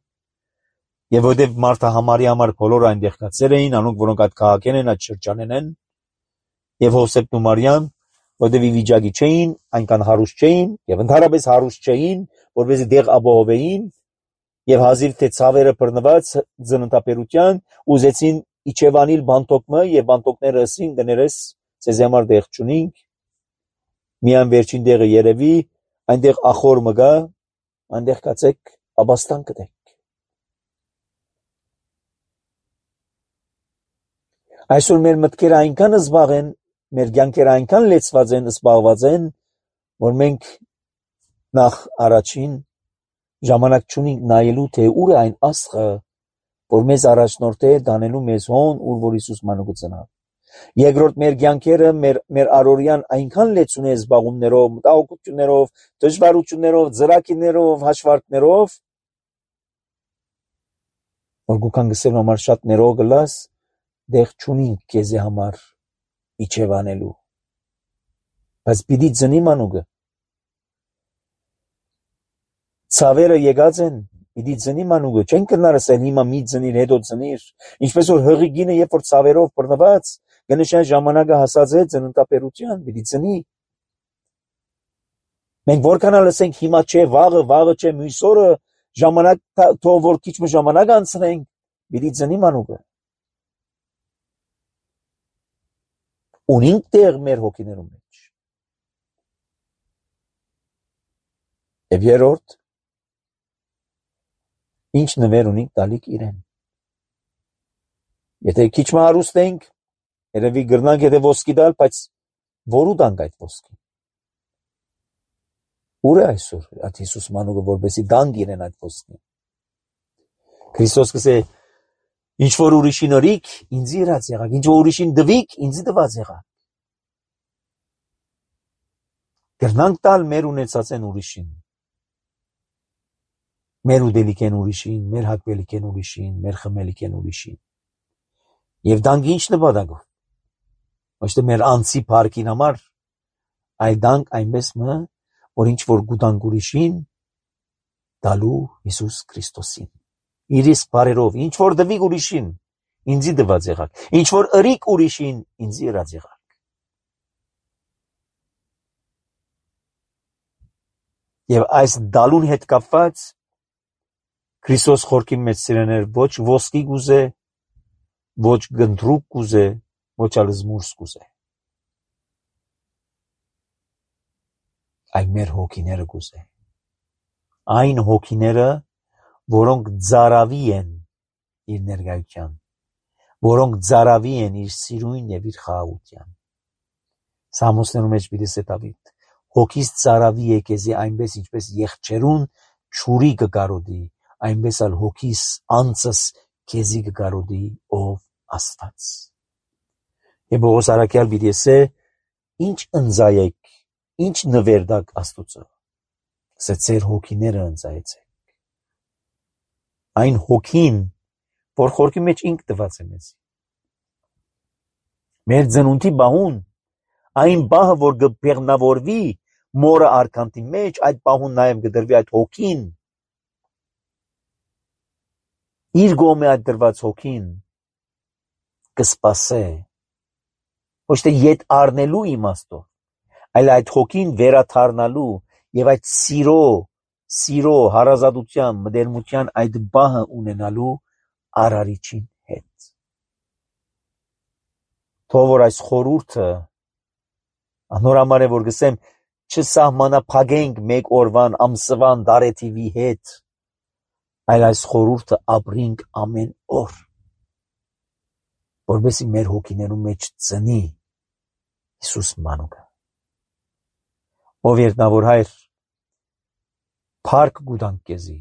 եւ որտեղ Մարթահամարի համար բոլորը այնտեղ կացեր էին անոնք որոնք այդ քաղաքեն են այդ շրջանեն են եւ Հովսեփ ու Մարիամ որտեղ ի վիճակի չէին այնքան հարուստ չէին եւ ընդհանրապես հարուստ չէին որովհետեւ դեղ ապահովեին եւ հազիվ թե ցավերը բռնված ծննդապերության ուզեցին իջևանիլ բանտոկը եւ բանտոկները ասին դներես ցեզ համար դեղ չունինք միան վերջին դեղը երևի այնտեղ ախոր մգա այնտեղ կացեք աբաստան կտեք այսօր մեր մտքերը այնքան զբաղ են մեր կյանքերը այնքան լեցված են զբաղված են որ մենք նախ առաջին ժամանակ չունենք նայելու թե ուր է այն աստղը որ մեզ առաջնորդ է դանելու մեզ հոն ուր որ Հիսուս մանուկը ծնավ երկրորդ մեր կյանքերը մեր մեր առօրյան այնքան լեցուն է զբաղումներով մտահոգություններով դժվարություններով ծրակիրներով հաշվարկներով որ գուքան գսել համար շատ ներող գլաս դեղ չունենք քեզի համար իջևանելու բայց պիտի ծնի մանուկը ցավերը եկած են պիտի ծնի մանուկը չեն կնար ասել հիմա մի ծնիր հետո ծնիր ինչպես որ հղի գինը երբ որ ցավերով բռնված գնշան ժամանակը հասած է ծննդապերության պիտի ծնի մենք որքանալ ասենք հիմա չէ վաղը վաղը չէ մյուս օրը ժամանակ թող որ քիչ մի ժամանակ անցնենք պիտի ծնի մանուկը ունենք տեղ մեր հոգիներու մեջ եւ երրորդ ինչ նվեր ունենք տալիք իրեն եթե քիչ մը հարուստ ենք երևի գրնանք եթե ոսկի տալ բայց որու տանք այդ ոսկին ուր է այսօր այդ Հիսուս մանուկը որպեսի տանք իրեն այդ ոսկին Քրիստոս կսե Ինչ որ ուրիշին ըրիք, ինձի ըրած եղաք, ինչ որ ուրիշին դվիք, ինձի դված եղաք։ Կրնանք տալ մեր ունեցած են ուրիշին։ Մեր ուդելիք են ուրիշին, մեր հակվելիք են ուրիշին, մեր խմելիք են ուրիշին։ Եվ դանք ինչ նպատակով։ Ոչ թե մեր անձի փառքին համար, այլ դանք այնպես մը, որ ինչ որ գուտանք ուրիշին, դալու Հիսուս Քրիստոսին։ Իր իսկ բարերով, ինչ որ դվիք ուրիշին, ինձի դված եղաք, ինչ որ ըրիք ուրիշին, ինձի ըրած եղաք։ Եվ այս դալուն հետ կապված Քրիստոս խորքի մեջ սիրեներ ոչ ոսկի գուզե, ոչ գնդրուկ գուզե, ոչ ալզմուրս գուզե։ Այլ մեր հոգիները գուզե։ Այն հոգիները, որոնք ծարավի են իր ներկայության, որոնք ծարավի են իր սիրուն եւ իր խաղաղության։ Սամոսներում մեջ պիտի սետավիտ, հոգիս ծարավի եկեզի այնպես ինչպես եղջերուն ճուրի կգարոդի, այնպես ալ հոգիս անցս քեզի կգարոդի ով Աստված։ Եվ Պողոս առաքյալ պիտի ասե, ինչ ընծայեք, ինչ նվերդակ Աստուծո, սա ձեր հոգիները ընծայեցեք։ Այն հոգին, որ խորքի մեջ ինք տված է մեզ։ Մեր ծնունդի բահուն, այն բահը, որ կբեղնավորվի մորը արքանտի մեջ, այդ բահուն նաև կդրվի այդ հոգին, իր գոմե այդ դրված հոգին կսպասե, ոչ թե ետ առնելու իմաստով, այլ այդ հոգին վերաթարնալու եւ այդ սիրո, սիրո, հարազատության, մտերմության այդ բահը ունենալու արարիչին հետ։ Թող որ այս խորհուրդը անորամար է, որ գսեմ, չսահմանափակենք մեկ օրվան, ամսվան, դարեթիվի հետ, այլ այս խորհուրդը ապրինք ամեն օր, որովհետեւ մեր հոգիներու մեջ ծնի Հիսուս մանուկը։ Ով երտնավոր հայր, փառք գուտանք քեզի,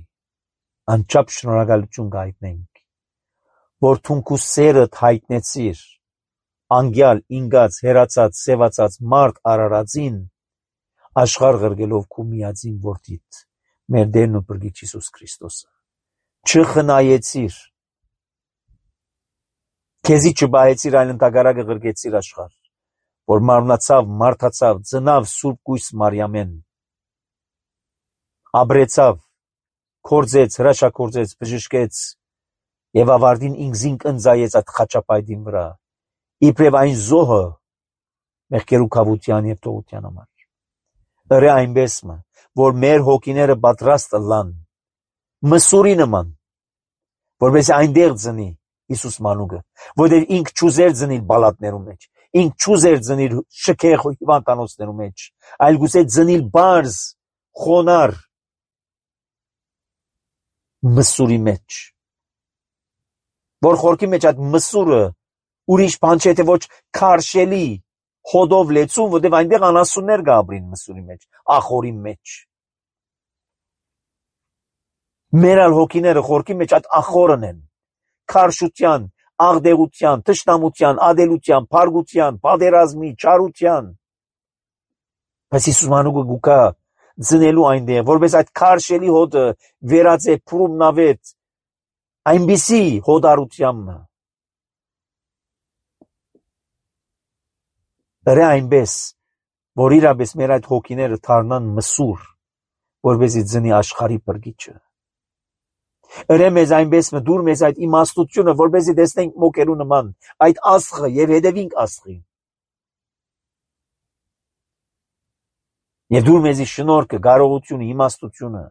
անչափ շնորհակալություն գայտնենք, որ թունքու սերդ հայտնեցիր, անգյալ, ինգած, հերացած, սևացած մարդ արարածին, աշխարհ ղրգելով քու միածին որդիդ, մեր Տերն ու Փրկիչ Հիսուս Քրիստոսը։ Չխնայեցիր, քեզի չբահեցիր, այլ ընդհակառակը ղրգեցիր աշխարհ, որ մարմնացավ, մարդացավ, ծնավ Սուրբ Կույս Մարիամեն, ապրեցավ, կործեց, հրաշակործեց, բժշկեց եւ ավարտին ինքզին ընծայեց այդ խաչապայտին վրա, իբրև այն զոհը մեղքերու կավության եւ տողության համար։ Ըրե այնպես մը, որ մեր հոգիները պատրաստ լան, մսուրի նման, որպես այնտեղ ծնի Հիսուս մանուկը, որտեղ ինք չուզեր ծնիլ բալատներու մեջ, ինք չուզեր ծնիլ շքեղ հիվանդանոցներու մեջ, այլ գուցե ծնիլ բարձ, խոնար, մսուրի մեջ, որ խորքի մեջ այդ մսուրը ուրիշ բան չէ, թե ոչ քարշելի հոդով լեցուն, որտեղ այնտեղ անասուններ կապրին մսուրի մեջ, ախորի մեջ։ Մեր ալ հոգիները խորքի մեջ այդ ախորն են, քարշության, աղդեղության, թշնամության, ադելության, փարգության, պատերազմի, չարության։ Բայց Հիսուս մանուկը գուկա ծնելու այնտեղ, որպես այդ քարշելի հոդը վերածե փրումնավետ, այնպիսի հոդարությամբ։ Ըրե այնպես, որ իրապես մեր այդ հոգիները դառնան մսուր, որպեսզի ծնի աշխարհի Փրկիչը։ Ըրե մեզ այնպես մը դուր մեզ այդ իմաստությունը, որպեսզի տեսնենք մոկերու նման այդ աստղը եւ հետևինք աստղին։ Եվ դուր մեզի շնորհքը, կարողությունը, իմաստությունը,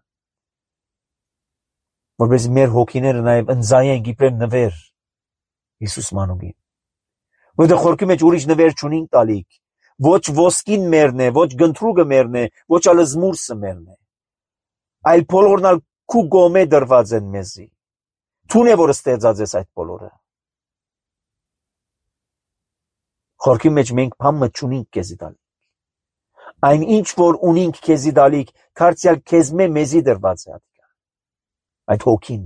որպեսզի մեր հոգիները նաեւ ընծայենք իբրև նվեր Հիսուս մանուկին։ Որտեղ խորքի մեջ ուրիշ նվեր չունենք տալիք, ոչ ոսկին մերն է, ոչ գնդրուկը մերն է, ոչ ալզմուրսը մերն է, այլ բոլորն ալ քու գոմե դրված են մեզի։ Թուն է, որ ստեղծած ես այդ բոլորը։ Խորքի մեջ մենք բամը չունենք քեզի տալիք։ Այն ինչ որ ունենք քեզի տալիք, դարձյալ քեզ մե մեզի դրված է այդ հոգին։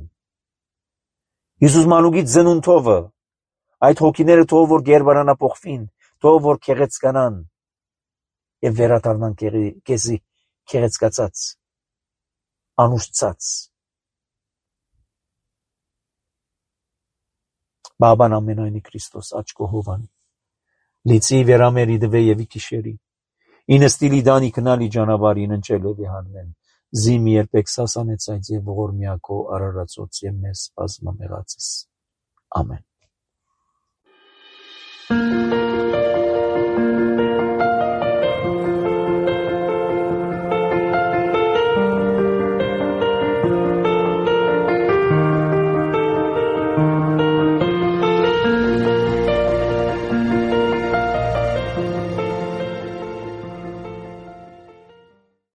Հիսուս մանուկից ծնունդովը, այդ հոգիները թող որ գերբարանափոխվին, թող որ քեղեցկանան եւ վերադառնան քեզի քեղեցկացած, անուշցած։ Բաբան ամենայնի Քրիստոս աչքո հովանի, լիցի վերամերի դվե եւի քիշերի, ինստիլի դանի քնալի ճանապարհին ընչելով իհանեն, զիմ երբեք սասանեցայց եւ ողորմյակո արարածոց եւ մեզ բազմամեղածս։ Ամեն։